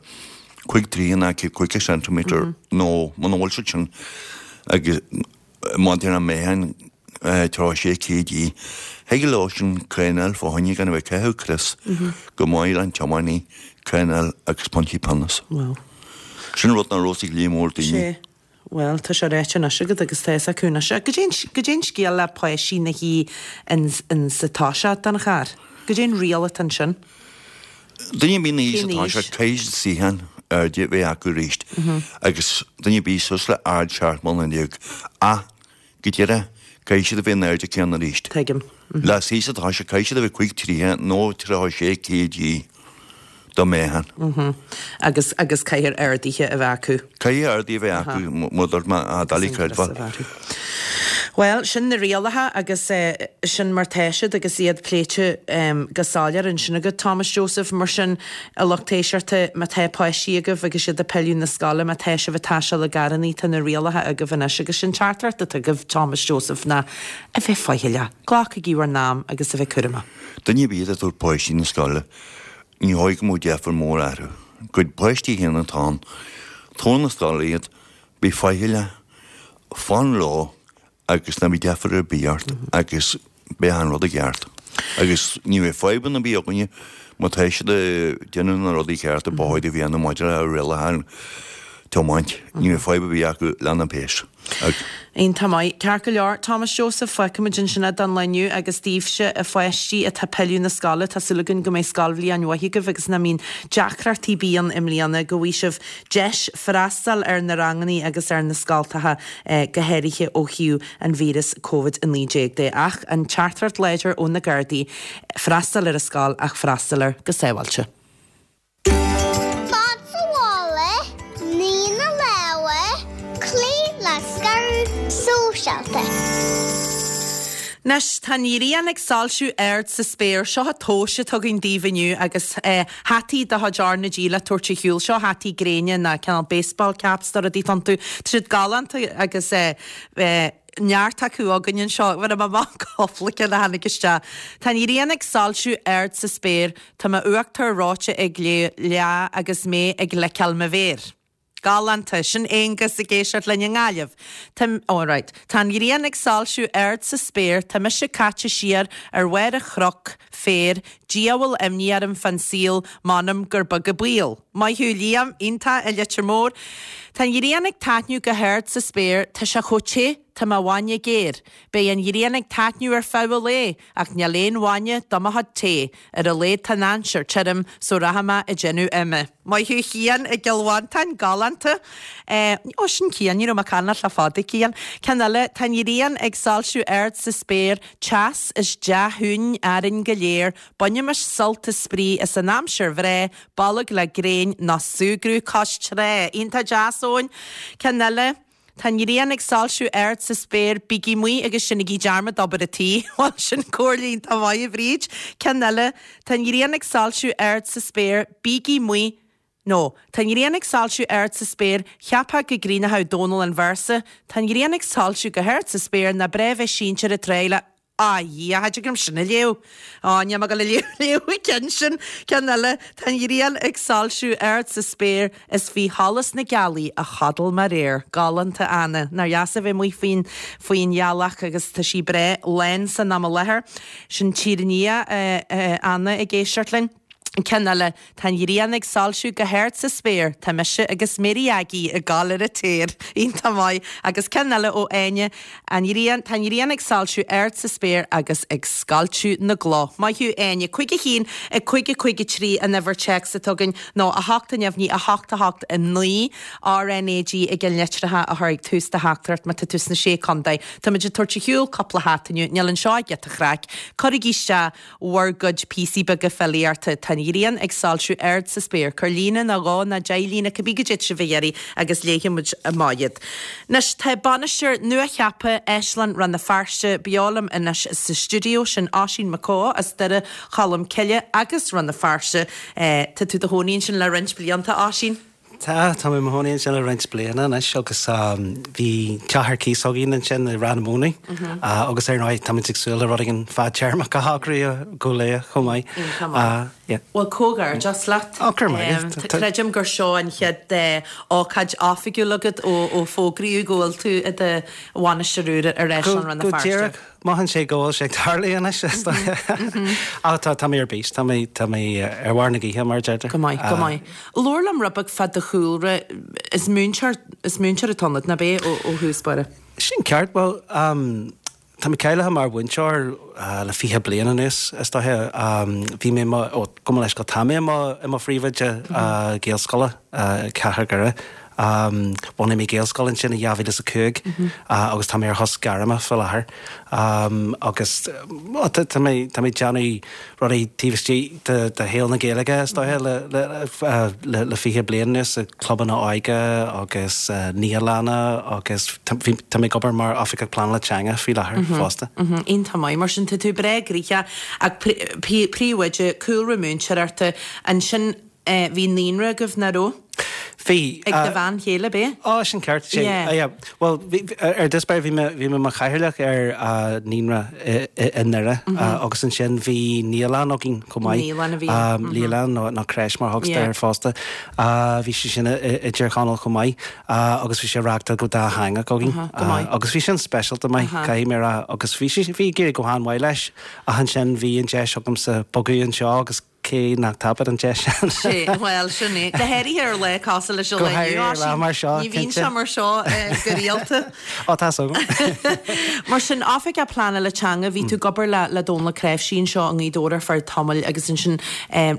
[SPEAKER 5] cúig troigh ná caoga ceintiméadar nó muna bhfuil siad sin agus maidir le meáchan tríocha sé kg. Thig leo sin coinneáil fá choinne gan a bheith ag caitheamh crios go maith le an tiománaí coinneáil agus pointí pionóis.
[SPEAKER 1] Wow.
[SPEAKER 5] Sin rud nach raibh a fhios ag líon mór daoine.
[SPEAKER 1] Sé. Bhuel, tá sé ráite anois agat agus tá fhios acu anois. Goidé an scéal le páistí ina shuí in sa toiseach den charr? Goidé an riail atá ansin?
[SPEAKER 5] Duine ar bith ina shuí sa toiseach, caithfidh siad suíochán airde a bheith acu arís agus duine ar bith suas le ard seacht mbliana déag ach go deireadh caithfidh siad a bheith an airde céanna arís.
[SPEAKER 1] Tuigim.
[SPEAKER 5] Le suí sa toiseach caithfidh siad a bheith cúig troigh nó tríocha sé kg do mheáchan.
[SPEAKER 1] Agus agus caithfidh arduithe a bheith acu.
[SPEAKER 5] Caithfidh arduithe a bheith acu mar a dúirt mé, doiligh creidbheáil.
[SPEAKER 1] Bhuel, sin na rialacha agus sin mar tá siad agus iad pléite go soiléir ansin agat, Thomas Joseph. Mar sin, a lucht éisteachta, má tá páistí agaibh agus iad ag pilleadh na scoile, má tá sibh ag taisteal i gcarrannaí, tá na rialacha agaibh anois agus sin teachtaireacht atá agaibh, Thomas Joseph, ná a bheith faichilleach, glacaigí bhur n-am agus a bheith cúramach.
[SPEAKER 5] Duine ar bith atá ag tabhairt páistí na scoile, ní dóigh go mbeadh deifir mór orthu. Gcuid páistí féin atá ann, tabhair na scoile iad, bí faichilleach, fan leo agus ná bí deifir ar bith ort agus beidh an rud i gceart. Agus ní bheidh fadhbanna ar bith againne má tá siad ag déanamh na rudaí cearta ba chóir a dhéanamh maidir le rialacha tiomáint. Ní bheidh fadhb ar bith acu lena bpéas.
[SPEAKER 1] Iontach maith. Ceart go leor, Thomas Joseph, fágfaimid ansin é don lá inniu agus daoibhse, a pháistí atá ag pilleadh na scoile, tá súil againn go mbeidh scoilbhliain mhaith agaibh agus nach mbíonn deacrachtaí ar bith ann i mbliana, go bhfaighidh sibh deis freastal ar na rangannaí agus ar na scoltacha, go háirithe ó thaobh an víreas Covid a naoi déag de. Ach an teachtaireacht láidir ó na Gardaí, freastal ar an scoil ach freastal air go sábháilte.
[SPEAKER 6] Fad sa mhála, nigh na lámha, cloígh le scaradh sóisialta.
[SPEAKER 1] Anois, tá an ghrian ag soilsiú ard sa spéir. Seo an tomhas atá againn daoibh inniu agus hataí de chuid R na G le tabhairt ar shiúl. Seo hataí gréine ná cineál baseball caps do rudaí atá iontu. Tá siad galánta agus neart acu againn anseo. Bhain mé amach cúpla ceann a tháinig isteach. Tá an ghrian ag soilsiú ard sa spéir, tá m'uachtar reoite ag leá agus mé ag liceáil mo mhéar. Galánta. Sin Aonghus ag éisteacht linn i nGaillimh. Tá, oh right. Tá an ghrian ag soilsiú ard sa spéir, tá mise caite siar ar bharr an chnoc féir, diabhal imní orm fán saol, m'anam gur beag an baol. Maith thú Liam, iontach i Leitir Móir. Tá an ghrian ag taitneamh go hard sa spéir, tá sé chomh te, tá mo bhainne géar. Beidh an ghrian ag taitneamh ar feadh an lae, ach níl aon bhainne do mo chuid tae. Ar a laghad tá an aimsir tirim, so rachaidh mé ag déanamh ime. Maith thú Cian i gCill Mhantáin, galánta. Eh, ó sin Cian, ní raibh mé ag caint leat le fada Cian. Ceann eile, tá an ghrian ag soilsiú ard sa spéir, teas is dea-shuain orainn go léir, bainimis sult is spraoi as an aimsir bhreá, bolg le gréin ná súgradh cois trá. Iontach deas, Eoin. Ceann eile, Tá an ghrian ag soilsiú ard sa spéir, bígí amuigh agus seinigí dearmad obair an tí. Bhuel, sin comhairle iontach maith, a Bhríd. Ceann eile, Tá an ghrian ag soilsiú ard sa spéir, bígí amuigh No. Tá an ghrian ag soilsiú ard sa spéir, cheapfá go gcríochnódh Dónal an véarsa, Tá an ghrian ag soilsiú go hard sa spéir, nach breá bheith sínte ar an tráigh le Á, a Dhia, cha dtig liom sin a léamh. Á, níl mé ag dul a léamh léamh an ceann sin. Ceann eile, Tá an ghrian ag soilsiú ard sa spéir, is bhí sholas na gealaí a chodail mé aréir. Galánta, Anna. Nár dheas a bheith amuigh faoin faoin ghealach agus tá sí breá lán san am i láthair. Sin Tír an Fhia, Anna ag éisteacht linn. Ceann eile, Tá an ghrian ag soilsiú go hard sa spéir, tá mise agus Mary Aggie ag gabháil ar an téar. Iontach maith. Agus ceann eile ó Áine, An ghrian, tá an ghrian ag soilsiú ard sa spéir agus ag scoilteadh na gcloch. Maith thú Áine. Cúig a haon, a cúig a cúig a trí an uimhir téacs atá againn nó a hocht a neamhní a hocht a hocht a naoi RNAG ag an litreacha a chur ag tús do theachtaireacht má tá tú sna Sé Contae. Táimid ag tabhairt ar shiúl cúpla hata inniu. Níl anseo ach giota craic. Cuirigí isteach bhur gcuid píosaí beaga filíochta. Tá an ghrian ag soilsiú ard sa spéir. Cuir líne nó dhó nó deich líne cibé goidé atá sibh a iarraidh agus léifidh muid amach iad. Anois tá bainisteoir nuacheaptha Áislann Rann na Feirste beo liom anois sa stiúideo, sin Oisín Mac Cóil as Doire Cholm Cille agus Rann na Feirste. Tá tú i do chónaí ansin le roinnt blianta, Oisín?
[SPEAKER 7] Tá, tá mé i mo chónaí ansin le roinnt bliana anois agus bhí teach ar cíos againn ansin i Ráth na Móna agus ar ndóigh táimid ag súil le rud éigin fadtéarmach a shocrú go luath chomh maith.
[SPEAKER 1] Iontach maith. Bhuel, comhghairdeas leat.
[SPEAKER 7] Ó, go raibh maith agat.
[SPEAKER 1] Creidim gur seo an chéad ócáid oifigiúil agat ó fógraíodh go bhfuil tú i do bhainisteoir úr ar Áislann Rann na
[SPEAKER 7] Go
[SPEAKER 1] Feirste.
[SPEAKER 7] díreach. Mothaíonn sé go bhfuil sé ag tarlú anois, is dóigh. Ach tá, tá mé ar bís, tá mé, tá mé ar bharr na gaoithe, mar a deirtear.
[SPEAKER 1] Go maith, go maith. Labhair liom rud beag fá do chúlra. Is múinteoir, is múinteoir atá ionat, nach ea, ó, ó thús báire?
[SPEAKER 7] Sin ceart. Bhuel, tá mé cáilithe mar mhúinteoir le fiche bliain anuas, is dóiche. Bhí mé i mo, ó, gabh mo leithscéal, tá mé i mo, i mo phríomhoide Gaelscoile i gCathair Dhoire. Bhunaigh mé Gaelscoil ansin i dhá mhíle is a cúig agus tá mé ar shos gairme faoi láthair. Agus tá mé tá mé ag déanamh rudaí taobh istigh de de shaol na Gaeilge is dóiche le le le fiche bliain anuas, i clubanna óige agus naíolanna agus tá mé ag obair mar Oifigeach Pleanála Teanga faoi láthair fosta.
[SPEAKER 1] Iontach maith. Mar sin tá tú breá gnoitheach ach príomhoide, cúlra múinteoireachta, ansin bhí naíonra agaibh, nach raibh?
[SPEAKER 7] Bhí.
[SPEAKER 1] Ag do bhean chéile, ab ea?
[SPEAKER 7] Ó, sin ceart. Sé,
[SPEAKER 1] Yeah.
[SPEAKER 7] yeah. Bhuel, bhí, ar dtús báire bhí mé, bhí mé mar chathaoirleach ar naíonra i, i, i nDoire agus ansin bhí naíolann againn chomh maith.
[SPEAKER 1] Naíolann a bhí ann.
[SPEAKER 7] Naíolann nó, nó creche mar a thugtar
[SPEAKER 1] Yeah.
[SPEAKER 7] air fosta. Bhí sé sin i, i dTír Chonaill chomh maith agus bhí sé reáchtáil go dátheangach againn.
[SPEAKER 1] Uh-huh, go maith.
[SPEAKER 7] Agus bhí sin speisialta maith,
[SPEAKER 1] Uh-huh.
[SPEAKER 7] caithfidh mé a rá, agus bhí sé, bhí ag éirí go han-mhaith leis ach ansin bhí an deis agamsa bogadh anseo agus cé nach dtapaíonn an deis sin.
[SPEAKER 1] Sé, bhuel, sin é. Go háirithe ar lá cosúil leis an
[SPEAKER 7] Go
[SPEAKER 1] lá inniu,
[SPEAKER 7] háirithe ar lá
[SPEAKER 1] Oisín.
[SPEAKER 7] mar seo,
[SPEAKER 1] Ní bhíonn
[SPEAKER 7] cinnte.
[SPEAKER 1] sé mar seo go rialta.
[SPEAKER 7] Ó, tá súil agam.
[SPEAKER 1] Mar sin, Oifigeach Pleanála Teanga, bhí tú ag obair le le Dónal Ó Cnáimhsí anseo i nGaoth Dobhair ar feadh tamaill agus ansin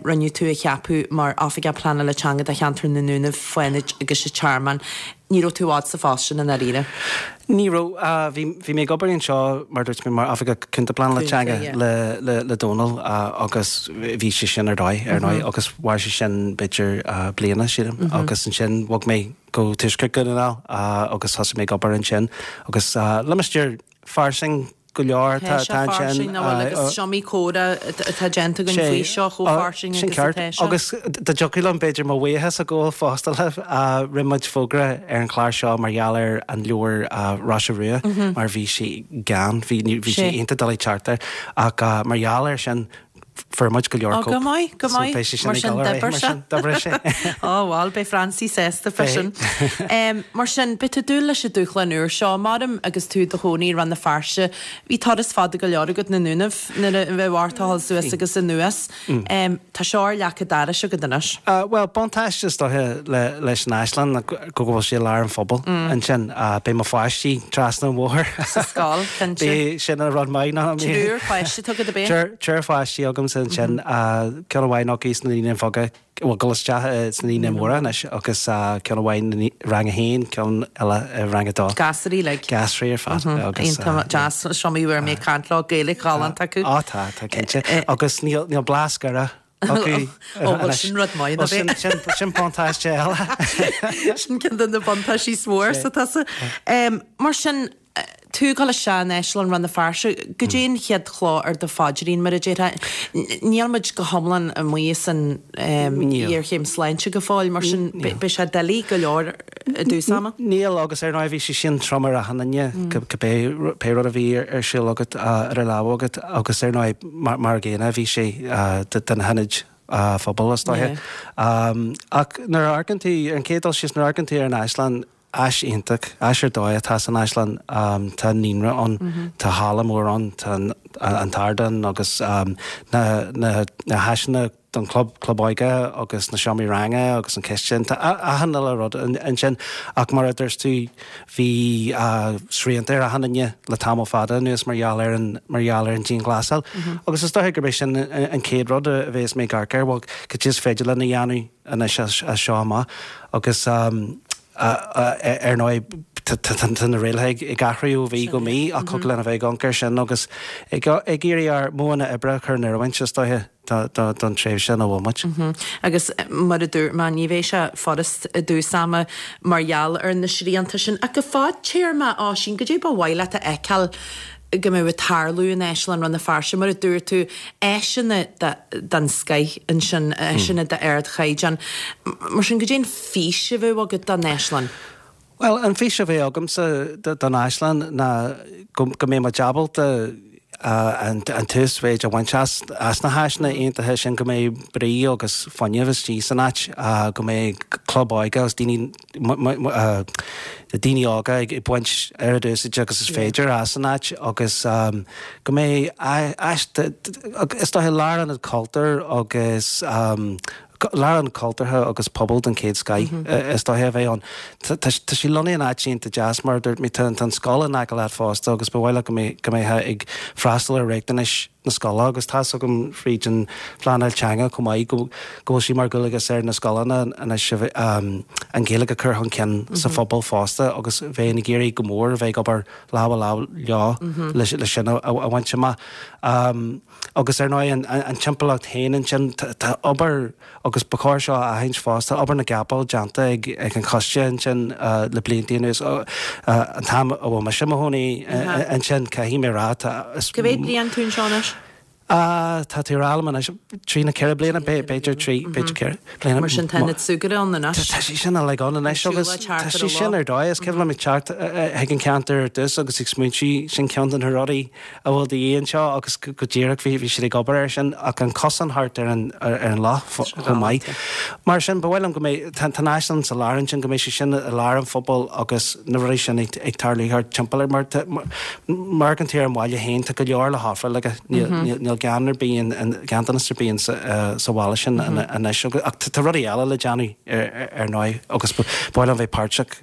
[SPEAKER 1] rinneadh tú a cheapadh mar Oifigeach Pleanála Teanga do cheantar na nDúnaibh, Fánaid agus an Tearmann. Ní raibh tú i bhfad sa phost sin i ndáiríre.
[SPEAKER 7] Ní raibh. Bhí bhí mé ag obair anseo mar dúirt mé mar Oifigeach Cúnta Pleanála
[SPEAKER 1] Cúnta,
[SPEAKER 7] Teanga
[SPEAKER 1] yeah.
[SPEAKER 7] le le le Dónal agus bhí sé sin ar dóigh ar ndóigh agus mhair sé sin b'fhéidir bliana sílim agus ansin bhog mé go Tuaisceart Dhún na nGall agus thosaigh mé ag obair ansin agus limistéar fairsing go leor
[SPEAKER 1] Tá
[SPEAKER 7] tá
[SPEAKER 1] sé
[SPEAKER 7] tá
[SPEAKER 1] fairsing
[SPEAKER 7] ansin
[SPEAKER 1] nach bhfuil agus is iomaí comhrá atá déanta againn faoi seo chomh fairsing
[SPEAKER 7] Sin
[SPEAKER 1] agus
[SPEAKER 7] ceart.
[SPEAKER 1] atá sé.
[SPEAKER 7] Agus dá dtiocfadh liom b'fhéidir mo bhuíochas a ghabháil fosta libh rinne muid fógra ar an chlár seo mar gheall ar an leabhar Roise Rua mar bhí sé gann, bhí bhí sé
[SPEAKER 1] Sé.
[SPEAKER 7] iontach doiligh teacht air ach mar gheall air sin fuair muid go leor
[SPEAKER 1] Ó, go
[SPEAKER 7] cóip.
[SPEAKER 1] maith, go
[SPEAKER 7] So
[SPEAKER 1] maith.
[SPEAKER 7] beidh sé sin
[SPEAKER 1] Mar
[SPEAKER 7] ag
[SPEAKER 1] sin
[SPEAKER 7] dul ar aghaidh,
[SPEAKER 1] d'oibir
[SPEAKER 7] mar
[SPEAKER 1] sé.
[SPEAKER 7] sin d'oibrigh sé.
[SPEAKER 1] Ó, bhuel, beidh Francie sásta fé
[SPEAKER 7] Beidh.
[SPEAKER 1] sin. Mar sin, beidh tú ag dúil leis an dúshlán úr seo, maram agus tú i do chónaí i Rann na Feirste. Bhí turas fada go leor agat na Dúnaibh nuair a bheadh ort a dhul suas agus anuas. Tá seo ar leac an dorais agat anois.
[SPEAKER 7] Bhuel, buntáiste is dóiche le leis an Áislann ná go bhfuil sé i lár an phobail ansin. Beidh mo pháistí trasna an bhóthair.
[SPEAKER 1] Sa scoil, cinnte.
[SPEAKER 7] Beidh sin an rud maith ná
[SPEAKER 1] Triúr páiste agat ab ea?
[SPEAKER 7] Triúr triúr pháistí agamsa ansin. Ceann amháin acu sna naíonáin bheaga, bhuel ag dul isteach sna naíonáin mhóra anois agus ceann amháin i rang a haon, ceann eile i rang a dó.
[SPEAKER 1] Gasraí like.
[SPEAKER 7] Gasraí ar fad. Agus
[SPEAKER 1] Iontach deas is iomaí uair mé ag caint leo Gaeilge ghalánta acu.
[SPEAKER 7] Á tá, tá cinnte. Agus níl níl blas Dhoire acu.
[SPEAKER 1] Ó, bhuel sin rud maith
[SPEAKER 7] Bhuel sin sin sin buntáiste eile.
[SPEAKER 1] Sin ceann de na buntáistí is mó sa tusa. Mar sin, tú ag dul isteach in Áislann Rann na Feirste, goidé an chéad chloch ar do phaidrín mar a déarfá. Níl muid go hiomlán amuigh as an ghéarchéim sláinte go fóill, mar sin beidh sé doiligh go leor i dtús ama.
[SPEAKER 7] Níl agus ar ndóigh bhí sé sin trom ar achan duine cibé pé rud a bhí ar siúl agat ar a lámh agat agus ar ndóigh mar mar gcéanna bhí sé de na hionaid phobail is dóiche. Ach nuair a amharcann tú ar an chéad dul síos nuair a amharcann tú ar an Áislann áis iontach, áis ar dóigh atá san Áislann, tá naíonra ann, tá halla mór ann, tá an t-ardán agus na na na háiseanna don club, club óige agus na seomraí ranga agus an chistin, tá achan uile rud ansin ach mar a dúirt tú bhí srianta ar achan duine le tamall fada anuas mar gheall ar an mar gheall ar an dianghlasáil agus is dóiche gurb é sin an chéad rud a bheas mé ag amharc air, bhuel cad is féidir linn a dhéanamh anois as seo amach agus ar ndóigh tá na rialacha ag athrú ó mhí go mí ach thig linn a bheith ag amharc air sin agus ag iarraidh ár modhanna oibre a chur in oiriúint is dóiche don tréimhse ina bhfuil muid.
[SPEAKER 1] Agus mar a dúirt mé, ní bheidh sé furast i dtús ama mar gheall ar na srianta sin. Ach go fadtéarma, Oisín, goidé ba mhaith leat a fheiceáil go mbeadh ag tarlú in Áislann Rann na Feirste, mar a dúirt tú, áiseanna den scoith ansin, áiseanna d'ardchaighdeán. Mar sin, goidé an fís a bheadh agat don Áislann?
[SPEAKER 7] Bhuel, an fís a bheadh agamsa don Áislann ná go mbeidh muid ábalta an t-uasmhéid a bhaint as na háiseanna iontacha sin, go mbeidh brí agus fuinneamh istigh san áit, go mbeidh club óige agus daoine daoine óga ag baint oiread úsáide agus is féidir as an áit agus go mbeidh áis, is dóiche lárionad cultúir agus Lárionad cultúrtha agus pobail den chéad scoith is dóiche a bheidh ann. Tá sé lonnaithe in áit iontach deas, mar a dúirt mé, tá an scoil in aice leat fosta agus ba mhaith leat go mbeifeá ag freastal ar riachtanais na scoile agus tá's agam fríd an phleanáil teanga chomh maith go bhfuil sé mar dhualgas ar na scoileanna anois an Ghaeilge a chur chun cinn sa phobal fosta agus bheinn ag iarraidh go mór a bheith ag obair lámh i lámh leo le sin a bhaint amach. Agus ar ndóigh an timpeallacht féin ansin, tá obair, agus ba chóir seo a aithint fosta, obair na gcapall déanta ag an choiste ansin le blianta anuas. An t-am a bhfuil mise i mo chónaí ansin, caithfidh mé a rá, tá.
[SPEAKER 1] Cá mhéad bliain tú anseo anois?
[SPEAKER 7] Tá tú ag rá liom anois, trí nó ceithre bliana, b'fhéidir trí, b'fhéidir ceithre bliana.
[SPEAKER 1] Mar sin tá ionad súgartha ann anois.
[SPEAKER 7] Tá sé sin uilig ann anois agus tá sé sin ar dóigh. Is cuimhin liom ag teacht chuig an cheantar ar dtús agus ag smaointiú, sin ceann de na rudaí a bhfuil de dhíth anseo agus go díreach bhí bhí siad ag obair air sin ach an cosán thart ar an ar an loch chomh maith. Mar sin ba mhaith liom go mbeidh, tá an áislann sa lár ansin, go mbeidh sé sin i lár an phobail agus na rudaí sin ag ag tarlú thart timpeall air mar tá mar an tú ar an bhaile féin tá go leor le hofráil aige níl Níl gan ar bith, ganntanas ar bith sa bhaile sin anois ach tá rudaí eile le déanamh ar ndóigh agus ba mhaith liom bheith páirteach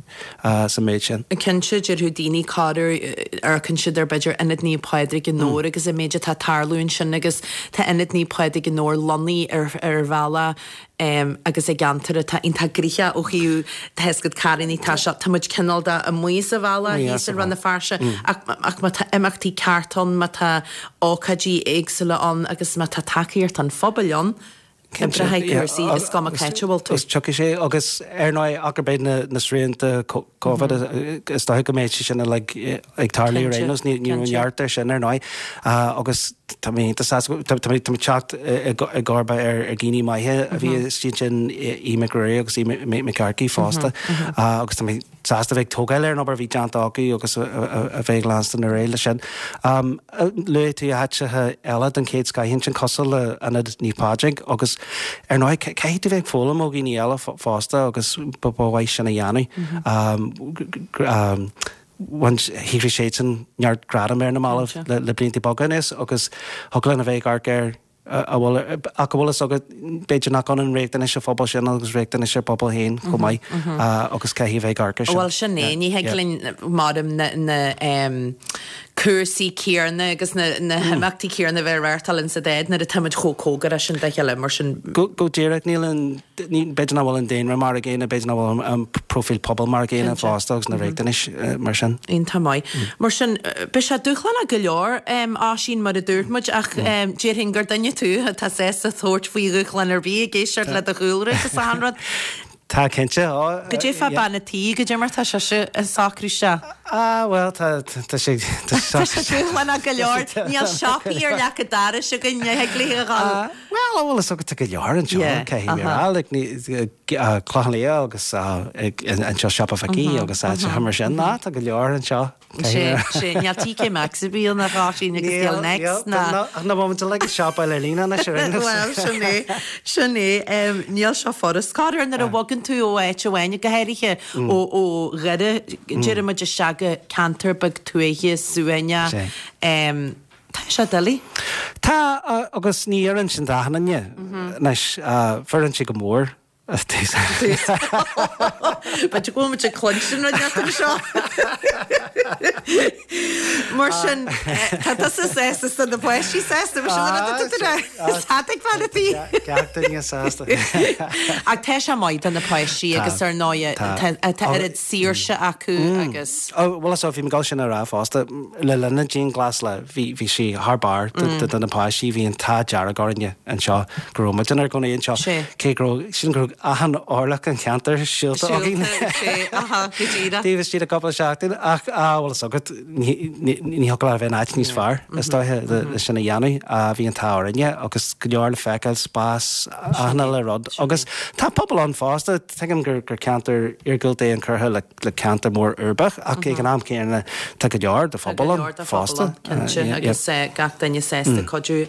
[SPEAKER 7] sa méid sin.
[SPEAKER 1] Cinnte, déarfadh daoine corruair amharcann siad ar b'fhéidir Ionad Naomh Pádraig i nDobhar agus an méid atá ag tarlú ansin agus tá Ionad Naomh Pádraig i nDobhar lonnaithe ar ar bhealach agus i gceantar atá iontach gnoitheach ó thaobh tá fhios agat carrannaí tá seo tá muid cineál de amuigh sa bhealach thíos i Rann na Feirste ach ach má tá imeachtaí ceart ann má tá ócáidí éagsúla ann agus má tá tacaíocht an phobail ann oibreoidh cúrsaí is cuma cá háit a bhfuil tú.
[SPEAKER 7] Is tiocfaidh sé agus ar ndóigh ach gurb iad na srianta Covid is dóiche go mbeidh sé sin uilig ag tarlú ar aon nós ní raibh neart air sin ar ndóigh agus Tá mé iontach sásta, tá mé ag teacht i gcomharba ar dhaoine maithe a bhí istigh ansin, Aodh Mac Ruairí agus Aodh Mac Earcaigh fosta agus tá mé sásta a bheith ag tógáil ar an obair a bhí déanta acu agus a bheith ag leanstan ar aghaidh leis sin. Luaigh tú áiteacha eile den chéad scoith ansin cosúil le Ionad Naomh Pádraig agus ar ndóigh caithfidh tú bheith ag foghlaim ó dhaoine eile fosta agus ba mhaith sin a dhéanamh. Bhain shaothraigh siadsan neart gradam ar na mallaibh le blianta beaga anuas agus thig linn a bheith ag amharc ar a bhfuil ach a bhfuil fhios agat b'fhéidir nach ionann riachtanais an phobail sin agus riachtanais ár bpobal féin chomh maith agus caithfidh a bheith ag amharc air sin.
[SPEAKER 1] Bhuel sin é, ní thig linn maram na na cúrsaí céanna agus na na himeachtaí céanna a bheith á reáchtáil in sa dá áit nuair atá muid chomh cóngarach sin dá chéile mar sin.
[SPEAKER 7] Go go díreach níl an B'fhéidir nach bhfuil an daonra mar a gcéanna, b'fhéidir nach bhfuil an próifíl pobail mar a gcéanna fosta agus na riachtanais mar sin.
[SPEAKER 1] Iontach maith. Mar sin, beidh sé dúshlánach go leor, Oisín, mar a dúirt muid, ach déarfainn gur duine tú atá sásta tabhairt faoi dhúshlán ar bith, ag éisteacht le do chúlra agus achan rud.
[SPEAKER 7] Tá, cinnte.
[SPEAKER 1] Goidé fá bean a' tí, goidé mar tá sise ag socrú isteach?
[SPEAKER 7] Ah, bhuel, tá, tá sé,
[SPEAKER 1] tá sé dúshlánach go leor. Níl siopaí ar leac an dorais againn, ní thig léi a dhul.
[SPEAKER 7] Bhuel, an bhfuil fhios agat, tá go leor anseo, caithfidh mé a rá, like, Clochán Liath agus anseo Siopa Mhicí agus áiteacha mar sin, ná, tá go leor anseo,
[SPEAKER 1] caithfidh mé a rá. Sé, sé, níl TK Maxx ar bith ann a Oisín agus níl Next ná.
[SPEAKER 7] Ach ná bhfuil muid uilig ag siopail ar líne anois ar aon nós.
[SPEAKER 1] Bhuel, sin é, sin é, níl seo furast. Corruair nuair a bhogann tú ó áit amháin, go háirithe ó, ó Dhoire, deireann muid isteach go ceantar beag tuaithe, suaimhneach, Tá sé doiligh.
[SPEAKER 7] Tá, agus ní oireann sin d'achan duine. Anois, oireann sé go mór
[SPEAKER 1] B'fhéidir go bhfuil muid ag cluinstin rud inteacht anseo. Mar sin, tá tusa sásta is tá na páistí sásta, mar sin an rud atá tú a rá. Is tá ag fear a tí.
[SPEAKER 7] Gach duine sásta.
[SPEAKER 1] Ach tá sé maith do na páistí agus ar ndóigh tá tá oiread saoirse acu agus.
[SPEAKER 7] Ó, bhuel so bhí mé ag dul sin a rá fosta, le linn na dianghlasála bhí bhí sé thar barr do na páistí, bhí an t-ádh dearg orainne anseo go raibh muid inár gcónaí anseo. Cé go raibh, sílim go raibh achan orlach an cheantair siúlta againn. Taobh istigh de cúpla seachtain ach bhuel is agat ní thiocfadh leat a bheith in áit níos fearr is dóiche le sin a dhéanamh. Bhí an t-ádh orainne agus go leor le feiceáil, spás, achan uile rud agus tá pobal ann fosta. Tuigim gur ceantar iargúlta é an Currach le ceantar mór uirbeach ach ag an am céanna tá go leor de phobal ann fosta.
[SPEAKER 1] Cinnte agus gach duine sásta cuidiú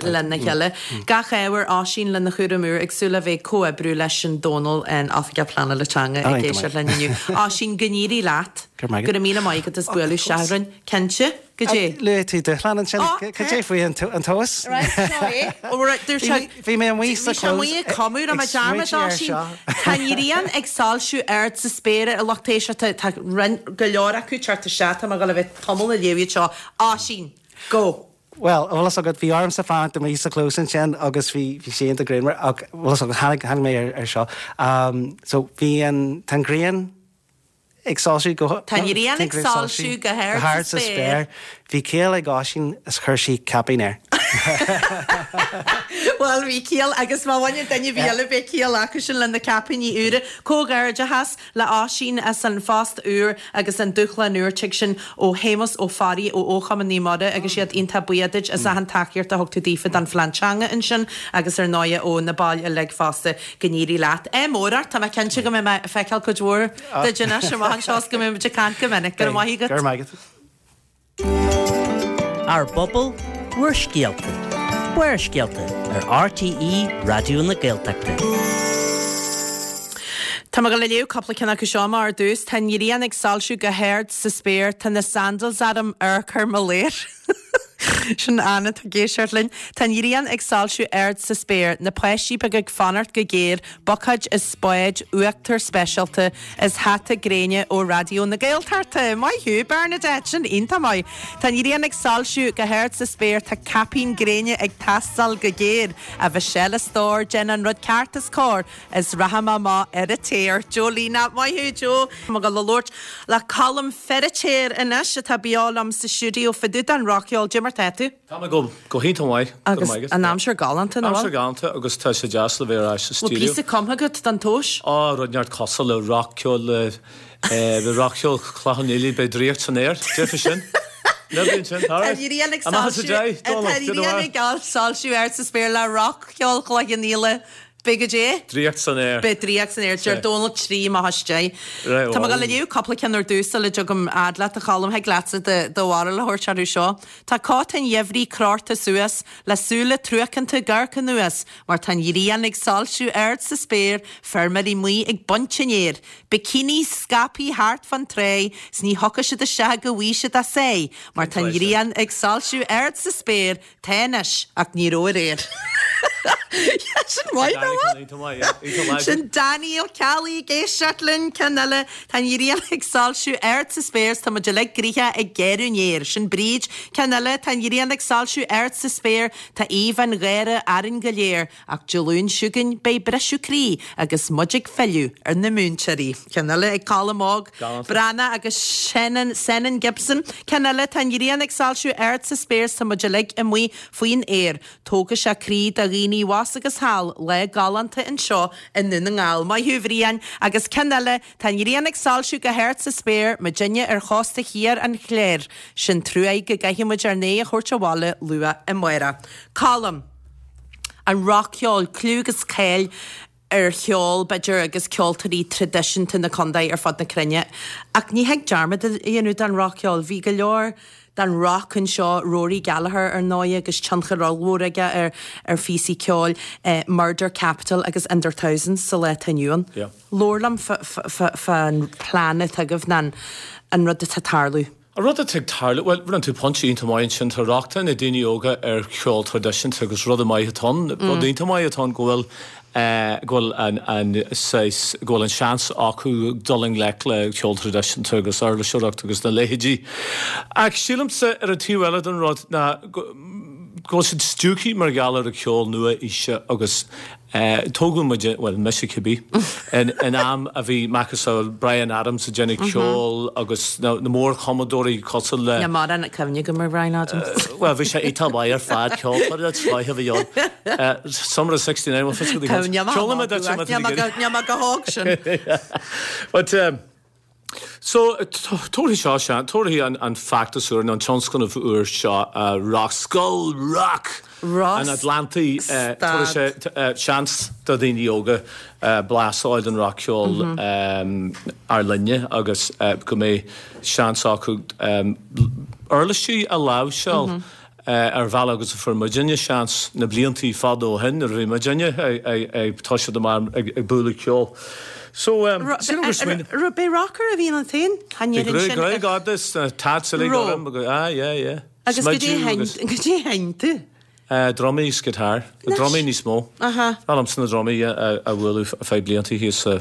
[SPEAKER 1] lena chéile. Gach ádh ar Oisín lena chúram úr ag súil le bheith ag comhoibriú leis an Dónal an Oifigeach Pleanála Teanga ag éisteacht linn inniu. Oisín, go n-éirí leat. Go raibh míle maith agat as bualadh isteach orainn. Cinnte. Goidé?
[SPEAKER 7] Luaigh tú dúshlán ansin. Cad é faoi an tomhas?
[SPEAKER 1] Right, seo é. Ó, right, dúirt sé.
[SPEAKER 7] Bhí mé amuigh sa
[SPEAKER 1] Bhí sé amuigh ag cumadh, raibh mé dearmad, Oisín. Tá an ghrian ag soilsiú ard sa spéir a lucht éisteachta. Tá go leor acu teacht isteach. Tá mé ag dul a bheith tamall ag léamh iad seo. Oisín, go!
[SPEAKER 7] Bhuel, bhfuil fhios agat, bhí ormsa fanacht amuigh sa chlós ansin agus bhí, bhí sé iontach grianmhar ach bhfuil fhios agat, tháinig, tháinig mé ar, ar seo. Um, so bhí an, tá an ghrian ag soilsiú go,
[SPEAKER 1] Tá an ghrian ag soilsiú go hard sa spéir.
[SPEAKER 7] Bhí ciall ag Oisín is chuir sí caipín air.
[SPEAKER 1] Bhuel, bhí ciall agus má bhaineann duine ar bith eile beidh ciall acusan le na caipíní úra. Comhghairdeachas le Oisín as an phost úr agus an dúshlán úr. Tig sin ó Shéamus Ó Fearraigh ó Chumann Naomh Muire agus iad iontach buíoch duit as achan tacaíocht a thug tú daofa don phlean teanga ansin agus ar ndóighe ó na baill uilig fosta. Go n-éirí leat. Ádh mór ort, tá mé cinnte go mbeidh mé ag feiceáil cuid mhór duit anois amach anseo is go mbeidh muid ag caint go minic. Go raibh maith agat.
[SPEAKER 7] Go raibh maith agat.
[SPEAKER 3] Ár bpobal, bhur scéalta. Barrscéalta ar RTÉ Raidió na Gaeltachta.
[SPEAKER 1] Tá mé ag dul a léamh cúpla ceann acu seo amach ar dtús. Tá an ghrian ag soilsiú go hard sa spéir, tá na sandals orm, amharc ar mo léir. Sin Anna atá ag éisteacht linn. Tá an ghrian ag soilsiú ard sa spéir, na páistí beaga ag fanacht go géar, buicéid is spáid, uachtar speisialta is hata gréine ó Raidió na Gaeltachta. Maith thú, Bernadette, sin iontach maith. Tá an ghrian ag soilsiú go hard sa spéir, tá caipín gréine ag teastáil go géar. A Mhichelle a stór, déan an rud ceart is cóir is rachaidh mé amach ar an téar. Jolina, maith thú, Joe. Tá mé ag dul a labhairt le Colm Feiritéar anois atá beo liom sa stiúideo fá dtaobh den rac-cheol. Cad é mar tá tú?
[SPEAKER 8] Tá mé go go hiontach maith.
[SPEAKER 1] Agus an aimsir galánta, nach bhfuil?
[SPEAKER 8] Aimsir galánta agus tá sé deas le bheith ar ais sa
[SPEAKER 1] Bhfuil
[SPEAKER 8] stiúideo.
[SPEAKER 1] píosa cumtha agat don tomhas?
[SPEAKER 8] Á, rud inteacht cosúil le rac-cheol le le rac-cheol Chloich Cheann Fhaola, beidh draíocht san aer, déarfaidh sin. Never sin,
[SPEAKER 1] Tá an ghrian ag soilsiú Tá an ghrian ag soilsiú ard sa spéir le rac-cheol Chloich Cheann Fhaola. Beidh goidé?
[SPEAKER 8] Draíocht san aer.
[SPEAKER 1] Beidh draíocht san aer. Deir Dónal trí amach istigh. Tá mé ag dul a léamh cúpla ceann ar dtús sula dtugaim fhad leat a Choilm. Thig leatsa do bharúil a thabhairt orthu seo. Tá cóta an gheimhridh crochta suas, le súile truacánta ag amharc anuas, mar tá an ghrian ag soilsiú ard sa spéir, feirmeoirí amuigh ag baint an fhéir, bikinis scaipthe thart fán tráigh, 's ní thiocfaidh siad isteach go bhfaighidh siad a sáith, mar tá an ghrian ag soilsiú ard sa spéir, Tá anois, ach ní raibh aréir. Sin maith, nach bhfuil? Sin Danny Ó Ceallaigh ag éisteacht linn, ceann eile, tá an ghrian ag soilsiú ard sa spéir 's tá muid uilig gnoitheach ag gearradh an fhéir. Sin Bríd. Ceann eile, tá an ghrian ag soilsiú ard sa spéir, tá aoibh an gháire orainn go léir, ach Dé Luain seo chugainn beidh briseadh croí agus muid ag filleadh ar na múinteoirí. Ceann eile ag Colm Óg Breathnach agus Senan, Senan Gibson. Ceann eile, tá an ghrian ag soilsiú ard sa spéir 's tá muid uilig amuigh faoin aer. Tógfaidh sé croí do dhaoine abhus agus thall, lá galánta anseo i nDún na nGall. Maith thú, a Bhriain. Agus ceann eile, tá an ghrian ag soilsiú go hard sa spéir, muidinne ar chósta thiar an Chláir. Sin truaigh go gcaithfidh muid ár n-aghaidh a thabhairt abhaile luath amárach. Colm. An rac-cheol, clú agus cáil ar cheol, b'fhéidir, agus ceoltóirí traidisiúnta na contae ar fud na cruinne. Ach ní thig dearmad a dhéanamh den rac-cheol. Bhí go leor den rac anseo, Rory Gallagher ar ndóigh agus tionchar ollmhór aige ar ar phíosaí ceoil, Murder Capital agus In Their Thousands sa lá atá inniu ann. Labhair liom fán plean atá agaibh nó an rud atá ag tarlú.
[SPEAKER 8] An rud atá ag tarlú, bhuel, rinne tú pointe iontach maith ansin, tá rochtain ag daoine óga ar cheol traidisiúnta agus rud maith atá ann, rud iontach maith atá ann go bhfuil go bhfuil an an saghas go bhfuil an seans acu dul i ngleic le ceol traidisiúnta agus uirliseoireacht agus na leithéidí. Ach sílimse ar an taobh eile den rud ná go go bhfuil siad stiúgtha mar gheall ar an cheol nua-aoise agus tógadh muid, bhuel, mise cibé, in am a bhí macasamhail Bryan Adams ag déanamh ceoil agus na mórchumadóirí cosúil le.
[SPEAKER 1] Níl mórán cuimhne agam ar Bryan Adams.
[SPEAKER 8] Bhuel, bhí sé iontach maith ar fad, ceoltóir den scoith a bhí ann. Summer of sixty nine, bhuel, fios go dtí Ceolfaidh mé duit má tá tú ag iarraidh.
[SPEAKER 1] Níl mé go hóg sin.
[SPEAKER 8] But, So, tabharfaidh seo seans, tabharfaidh an feachtas úr, nó an tionscnamh úr seo, Rock, Scoil Rock an Atlantaigh, tabharfaidh sé seans do dhaoine óga blas a fháil den rac-cheol ár linne agus go mbeidh seans acu uirlisí a láimhseáil. ar bhealach agus a fuair muidinne seans na bliantaí fada ó shin nuair a bhí muidinne ag toiseacht amach ag bualadh ceoil. So, sílim gur smaoineamh.
[SPEAKER 1] Raibh, b'é rocker a bhí ionat féin? Chan
[SPEAKER 8] Bhí
[SPEAKER 1] deireann sin.
[SPEAKER 8] gruaig fhada is tats uilig
[SPEAKER 1] Raibh.
[SPEAKER 8] orm agus, ah yeah, yeah.
[SPEAKER 1] Agus goidé
[SPEAKER 8] Smideadh
[SPEAKER 1] a sheinn,
[SPEAKER 8] agus.
[SPEAKER 1] goidé a sheinn tú?
[SPEAKER 8] Drumaí is guitar.
[SPEAKER 1] Anois.
[SPEAKER 8] Drumaí níos mó.
[SPEAKER 1] Aha.
[SPEAKER 8] Bhreá liomsa na drumaí a bhualadh feadh blianta thíos sa,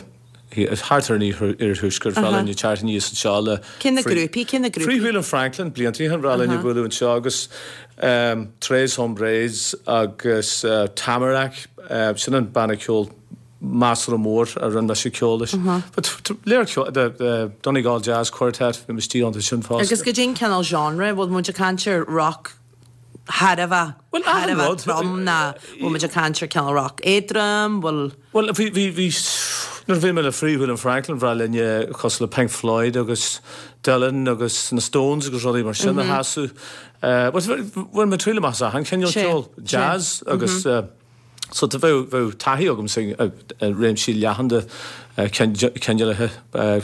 [SPEAKER 8] thart ar an iarthuaisceart, bhreá linn teacht aníos anseo le
[SPEAKER 1] Cé na grúpaí, cé na grúpaí?
[SPEAKER 8] Freewheelin' Franklin, blianta ó shin, bhreá linn a bualadh anseo agus Tres Hombres agus Tamarack, sin an banna ceoil measartha mór a rinne mise ceol leis. But léir ceol, the Donegal Jazz Quartet, bhí mé istigh iontu sin fosta.
[SPEAKER 1] Agus goidé an cineál genre, bhfuil muid ag caint ar rock thar a bheith,
[SPEAKER 8] Bhuel,
[SPEAKER 1] thar a
[SPEAKER 8] achan
[SPEAKER 1] bheith
[SPEAKER 8] rud.
[SPEAKER 1] trom ná bhfuil muid ag caint ar cineál rock éadrom, bhfuil.
[SPEAKER 8] Bhuel, bhí, bhí, bhí, nuair a bhí mé le Freewheelin' Franklin, bhreá linne cosúil le Pink Floyd agus Dylan agus na Stones agus rudaí mar sin a sheasamh. Bhuel, bhain mé triail amach as achan chineál
[SPEAKER 1] Sé,
[SPEAKER 8] ceoil,
[SPEAKER 1] sé.
[SPEAKER 8] jazz agus so tá, bheadh, bheadh taithí agamsa i réimsí leathan de cineálacha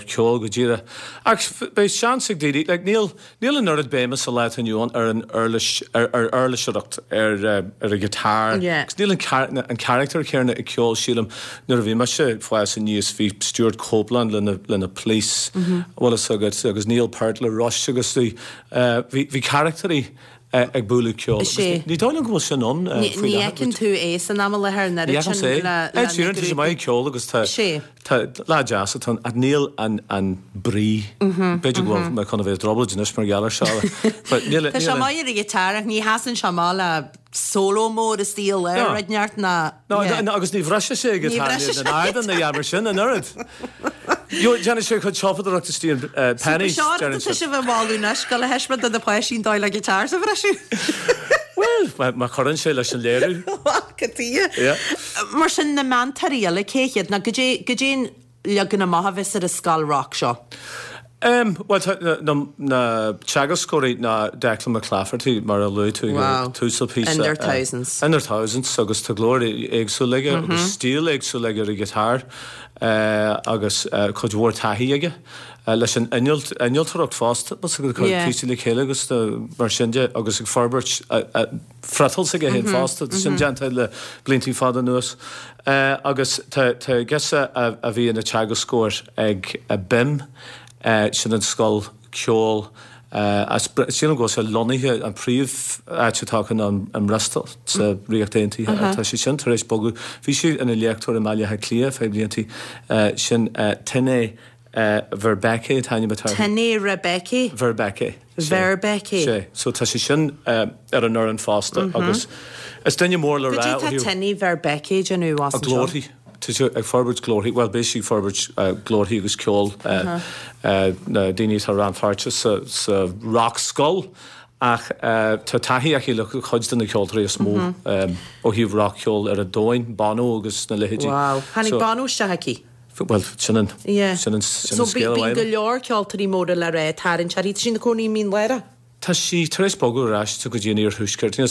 [SPEAKER 8] ceoil go díreach. Ach beidh seans ag daoine, like níl, níl an oiread béime sa lá atá inniu ann ar an uirlis, ar, ar uirliseoireacht, ar, ar an ghiotár.
[SPEAKER 1] Yeah.
[SPEAKER 8] Agus níl an char-, an carachtar céanna ag ceol, sílim, nuair a bhí mise ag fás aníos bhí Stewart Copeland lena, lena Police, bhfuil fhios agat, agus Neil Peart le Rush agus bhí, bhí, bhí carachtarí ag bualadh ceoil.
[SPEAKER 1] Is é.
[SPEAKER 8] Ní dóigh liom go bhfuil sin ann
[SPEAKER 1] Ní
[SPEAKER 8] faoi
[SPEAKER 1] ní
[SPEAKER 8] láthair.
[SPEAKER 1] fheiceann tú é san am i láthair an
[SPEAKER 8] Ní
[SPEAKER 1] oiread
[SPEAKER 8] fheicim
[SPEAKER 1] sin
[SPEAKER 8] é.
[SPEAKER 1] le
[SPEAKER 8] Ed
[SPEAKER 1] le na
[SPEAKER 8] Sheeran, tá sé
[SPEAKER 1] grúpaí.
[SPEAKER 8] maith ag ceol agus tá
[SPEAKER 1] Is é.
[SPEAKER 8] tá lá deas atá ann ach níl an an brí. B'fhéidir go bhfuil mé chun a bheith i dtrioblóid anois mar gheall air seo. But níl
[SPEAKER 1] Tá
[SPEAKER 8] níl
[SPEAKER 1] sé
[SPEAKER 8] an
[SPEAKER 1] maith ar an ghiotár ach ní sheasann sé amach le solo mór is stíl ar
[SPEAKER 8] No.
[SPEAKER 1] rud neart ná
[SPEAKER 8] No,
[SPEAKER 1] yeah.
[SPEAKER 8] no, agus ní bhriseann sé
[SPEAKER 1] Ní
[SPEAKER 8] giotár
[SPEAKER 1] bhriseann sé
[SPEAKER 8] na ardan na dheamar sin an oiread. Jo, déanann sé chuid siopadóireachta istigh in uh, Penneys,
[SPEAKER 1] Seo
[SPEAKER 8] déanann
[SPEAKER 1] tá
[SPEAKER 8] sé.
[SPEAKER 1] sibh ag moladh anois go le thaispeáint do na páistí an dóigh le guitars a bhriseadh.
[SPEAKER 8] Well, má má chuireann sé leis an léiriú.
[SPEAKER 1] Go dtí.
[SPEAKER 8] Yeah.
[SPEAKER 1] Mar sin na meantóirí eile cé hiad ná goidé goidé an leagan amach a bheas ar an scoil rock seo.
[SPEAKER 8] Um, well, tá na, na, na teagascóirí ná Declan McClafferty mar a luaigh tú
[SPEAKER 1] Wow.
[SPEAKER 8] tús an phíosa.
[SPEAKER 1] In their
[SPEAKER 8] uh,
[SPEAKER 1] thousands.
[SPEAKER 8] In their thousands agus tá glór éagsúil aige mm -hmm. agus stíl éagsúil aige ar an ghiotár uh, agus uh, cuid mhór taithí aige. Uh, leis an innealt- innealtóireacht fosta agus ag cur
[SPEAKER 1] Yeah.
[SPEAKER 8] píosaí le chéile agus uh, mar sin de agus ag forbairt uh, uh, friotal s'aige féin fosta sin déanta le blianta fada anuas. Uh, agus tá tá girseach a, a bhí ina teagascóir ag a BIMM uh, sin an scoil ceoil uh, as sílim go bhfuil sé lonnaithe an príomh áit atá acu an an Bristol sa Ríocht Aontaithe tá sé sin tar éis bogadh bhí sí ina léachtóir i mBaile Átha Cliath feadh blianta uh, sin uh, Tine uh, Verbeke an t-ainm atá
[SPEAKER 1] Tine Rebecca.
[SPEAKER 8] Verbeke.
[SPEAKER 1] Verbeke.
[SPEAKER 8] Sé, so tá sé sin uh, ar an fhoireann fosta agus is duine mór le
[SPEAKER 1] Goidé
[SPEAKER 8] rá
[SPEAKER 1] tá
[SPEAKER 8] ó thaobh-
[SPEAKER 1] Tine Verbeke déanamh as
[SPEAKER 8] a
[SPEAKER 1] anseo?
[SPEAKER 8] glórthaí. Tá sé ag forbairt glórthaí, well beidh sí ag forbairt uh, glórthaí agus ceol uh, uh, na daoine atá rannpháirteach sa, sa rock scoil ach uh, tá taithí aici le cuid de na ceoltóirí is mó um, ó thaobh rock ceol ar an domhan, Bono agus na leithéidí.
[SPEAKER 1] Wow. Tháinig
[SPEAKER 8] So-
[SPEAKER 1] Bono isteach aici.
[SPEAKER 8] Well, sin an
[SPEAKER 1] Yeah.
[SPEAKER 8] sin an sin
[SPEAKER 1] So
[SPEAKER 8] an scéal
[SPEAKER 1] bíonn
[SPEAKER 8] uaim.
[SPEAKER 1] go leor ceoltóirí móra le rá tarraingt uirthi. Tá sí ina cónaí i Mín Lárach?
[SPEAKER 8] Tá sí tar éis bogadh ar ais go dtí an iarthuaisceart. Níl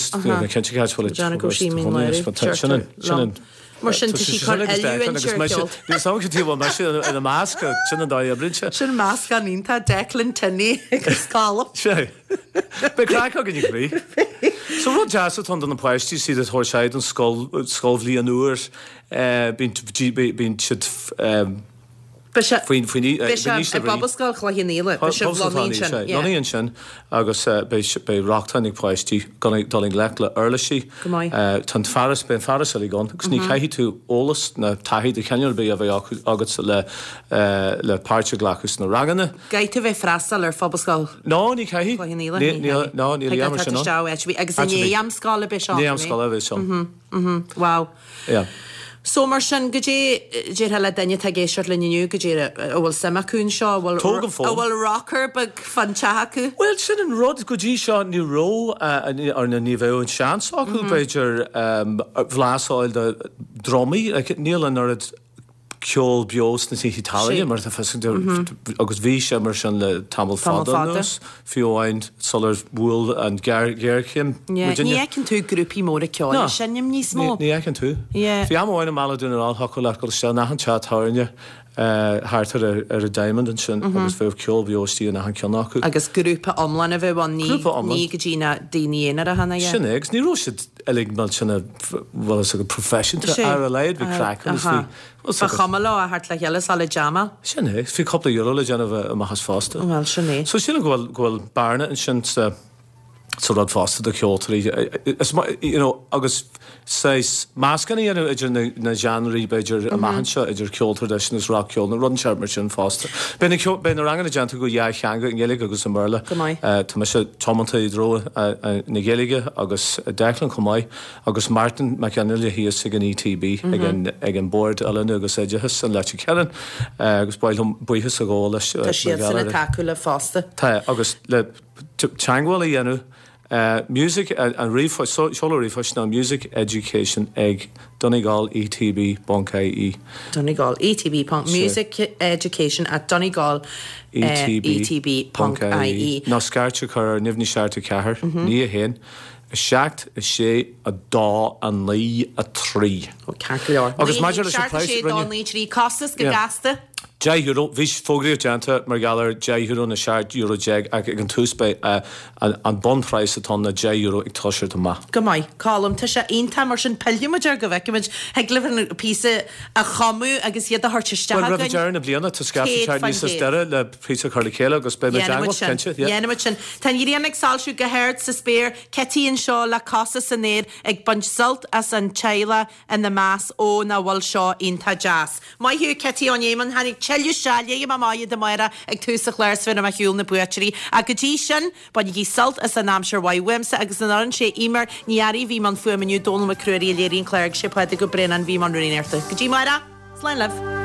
[SPEAKER 8] cinnte cá bhfuil
[SPEAKER 1] Déanamh go sí Mín Lárach.
[SPEAKER 8] Sin an sin an
[SPEAKER 1] Mar sin tá sí chun oiliúint ar cheol.
[SPEAKER 8] Níl sam go dtí bhfuil mise ina measc, sin an dóigh a oibríonn sé.
[SPEAKER 1] Sin meascán iontach Declan Tinney agus Colm.
[SPEAKER 8] Sé. Beidh craic againn i gcónaí. So rud deas atá ann do na páistí siad ag tabhairt aghaidh don scoil scoilbhliain úr, bíonn bíonn siad
[SPEAKER 1] Beidh sé
[SPEAKER 8] Faoin faoin
[SPEAKER 1] beidh sé i bPobalscoil Chloich Cheann Fhaola, beidh sibh lonnaithe ansin. Yeah.
[SPEAKER 8] Lonnaithe ansin agus beidh beidh rochtain ag páistí dul dul i ngleic le uirlisí.
[SPEAKER 1] Go maith.
[SPEAKER 8] Tá an fearas, beidh an fearas uilig ann agus ní chaithfidh tú eolas ná taithí de chineál ar bith a bheith acu agat le le páirt a ghlacadh sna ranganna.
[SPEAKER 1] Caithfidh tú bheith ag freastal ar Phobalscoil
[SPEAKER 8] No, ní chaithfidh.
[SPEAKER 1] Chloich Cheann Fhaola, ní chaithfidh.
[SPEAKER 8] No, níl
[SPEAKER 1] Thig
[SPEAKER 8] aon
[SPEAKER 1] leat
[SPEAKER 8] sin ann.
[SPEAKER 1] isteach ó áit ar bith agus i
[SPEAKER 8] Áit ar bith.
[SPEAKER 1] ndiaidh am scoile beidh seo
[SPEAKER 8] I ndiaidh am scoile a bheidh seo.
[SPEAKER 1] Mhm, wow.
[SPEAKER 8] Yeah.
[SPEAKER 1] So mar sin, goidé déarfá le duine atá ag éisteacht linn inniu, goidé a bhfuil suim acu anseo, a bhfuil
[SPEAKER 8] Tóg an fón.
[SPEAKER 1] a bhfuil rocker beag fán teach acu?
[SPEAKER 8] Bhuel, sin an rud, go dtí seo ní raibh, ar na ní bheadh an seans acu, b'fhéidir, blas a fháil de drumaí, like, níl an oiread ceol beo sna tithe tábhairne mar tá fhios agat, agus bhí sé mar sin le tamall fada anuas, fiú amháin sular bhuail an ghéarchéim
[SPEAKER 1] muidinne. Ní fheiceann tú grúpaí móra ceoil ag seinm níos mó.
[SPEAKER 8] Ní fheiceann tú. Bhí am amháin i mBaile Dhún na nGall thiocfadh leat dul isteach in achan teach tábhairne thart ar ar an Diamond ansin agus bheadh ceol beo istigh in achan ceann acu.
[SPEAKER 1] Agus grúpa iomlán a bheadh ann, ní go dtí na daoine aonaracha ná.
[SPEAKER 8] Sin é, agus ní raibh siad uilig millteanach, bhfuil fhios agat, proifisiúnta ar a laghad, bhí craic agus bhí,
[SPEAKER 1] Ba chuma leo a theacht le chéile is a le jamáil.
[SPEAKER 8] Sin é, bhí cúpla euro le déanamh amach as fosta.
[SPEAKER 1] Bhuel, sin é.
[SPEAKER 8] So sílim go bhfuil, go bhfuil bearna ansin sa, sa rud fosta do cheoltóirí. Is maith, you know, agus saghas meascán a dhéanamh idir na, na genreí b'fhéidir amach anseo, idir ceol traidisiúnta agus rac-cheol, nó rud inteacht mar sin fosta. Beidh na ceol, beidh na ranganna déanta go dhá theanga, i nGaeilge agus i mBéarla.
[SPEAKER 1] Go maith.
[SPEAKER 8] Tá mise tiomanta i dtreo na Gaeilge agus Declan chomh maith. Agus Martin Mac Fhionnghaile thíos ag an ETB, ag an ag an Bord Oiliúna agus Oideachais in Leitir Ceanainn, agus ba mhaith liom buíochas a ghabháil leis
[SPEAKER 1] Tá siadsan ag tacú libh fosta.
[SPEAKER 8] Tá, agus le teagmháil a dhéanamh, music, an ríomhphost, seoladh ríomhphoist ná music education ag Donegal ETB ponc IE.
[SPEAKER 1] Donegal ETB ponc music education at Donegal ETB ponc IE.
[SPEAKER 8] Nó scairt a chur ar neamhní seacht a ceathair, naoi a haon. a seacht, a sé, a dó, a naoi, a trí.
[SPEAKER 1] Ó, ceart go leor.
[SPEAKER 8] Agus maidir leis an
[SPEAKER 1] Seacht, a
[SPEAKER 8] praghas,
[SPEAKER 1] sé, dó,
[SPEAKER 8] rinne.
[SPEAKER 1] naoi, trí. Costas go
[SPEAKER 8] Yeah.
[SPEAKER 1] gasta.
[SPEAKER 8] Deich euro. Bhí fógraíocht déanta mar gheall ar deich euro nó seacht euro déag ach ag an tús beidh an an bunphraghas atá ann ná deich euro ag toiseacht amach.
[SPEAKER 1] Go maith. Colm, tá sé iontach mar sin pillfidh muid air go bhfeicfimid. Thig libh an píosa a chumadh agus iad a thabhairt isteach
[SPEAKER 8] Bhuel, roimh
[SPEAKER 1] againn.
[SPEAKER 8] deireadh na bliana tá scaifte
[SPEAKER 1] Céad
[SPEAKER 8] teacht
[SPEAKER 1] faoin
[SPEAKER 8] níos
[SPEAKER 1] gcéad.
[SPEAKER 8] deireadh le píosa a chur le chéile agus beidh muid
[SPEAKER 1] Dhéanfaidh muid
[SPEAKER 8] i dteagmháil,
[SPEAKER 1] sin.
[SPEAKER 8] cinnte, yeah.
[SPEAKER 1] Dhéanfaidh muid sin. Tá an ghrian ag soilsiú go hard sa spéir, Cití anseo le cosa san aer ag baint sult as an teaghlach ina measc, ó nach bhfuil seo iontach deas. Maith thú Cití Ó Néimean, tháinig tuilleadh seile i mo mhaith do Mháire ag tús an chláir is bheinn ar shiúl na buaiteoirí. Ach go dtí sin, bainigí sult as an aimsir mhaith uaimse agus an fhoireann sé Eimear Ní Fhearraigh a bhí i mbun fuaime inniu, Dónal Mac Ruairí a léirigh an clár agus sé Pádraig Ó Braonáin a bhí i mbun rúnaíochta. Go dtí amárach, slán libh.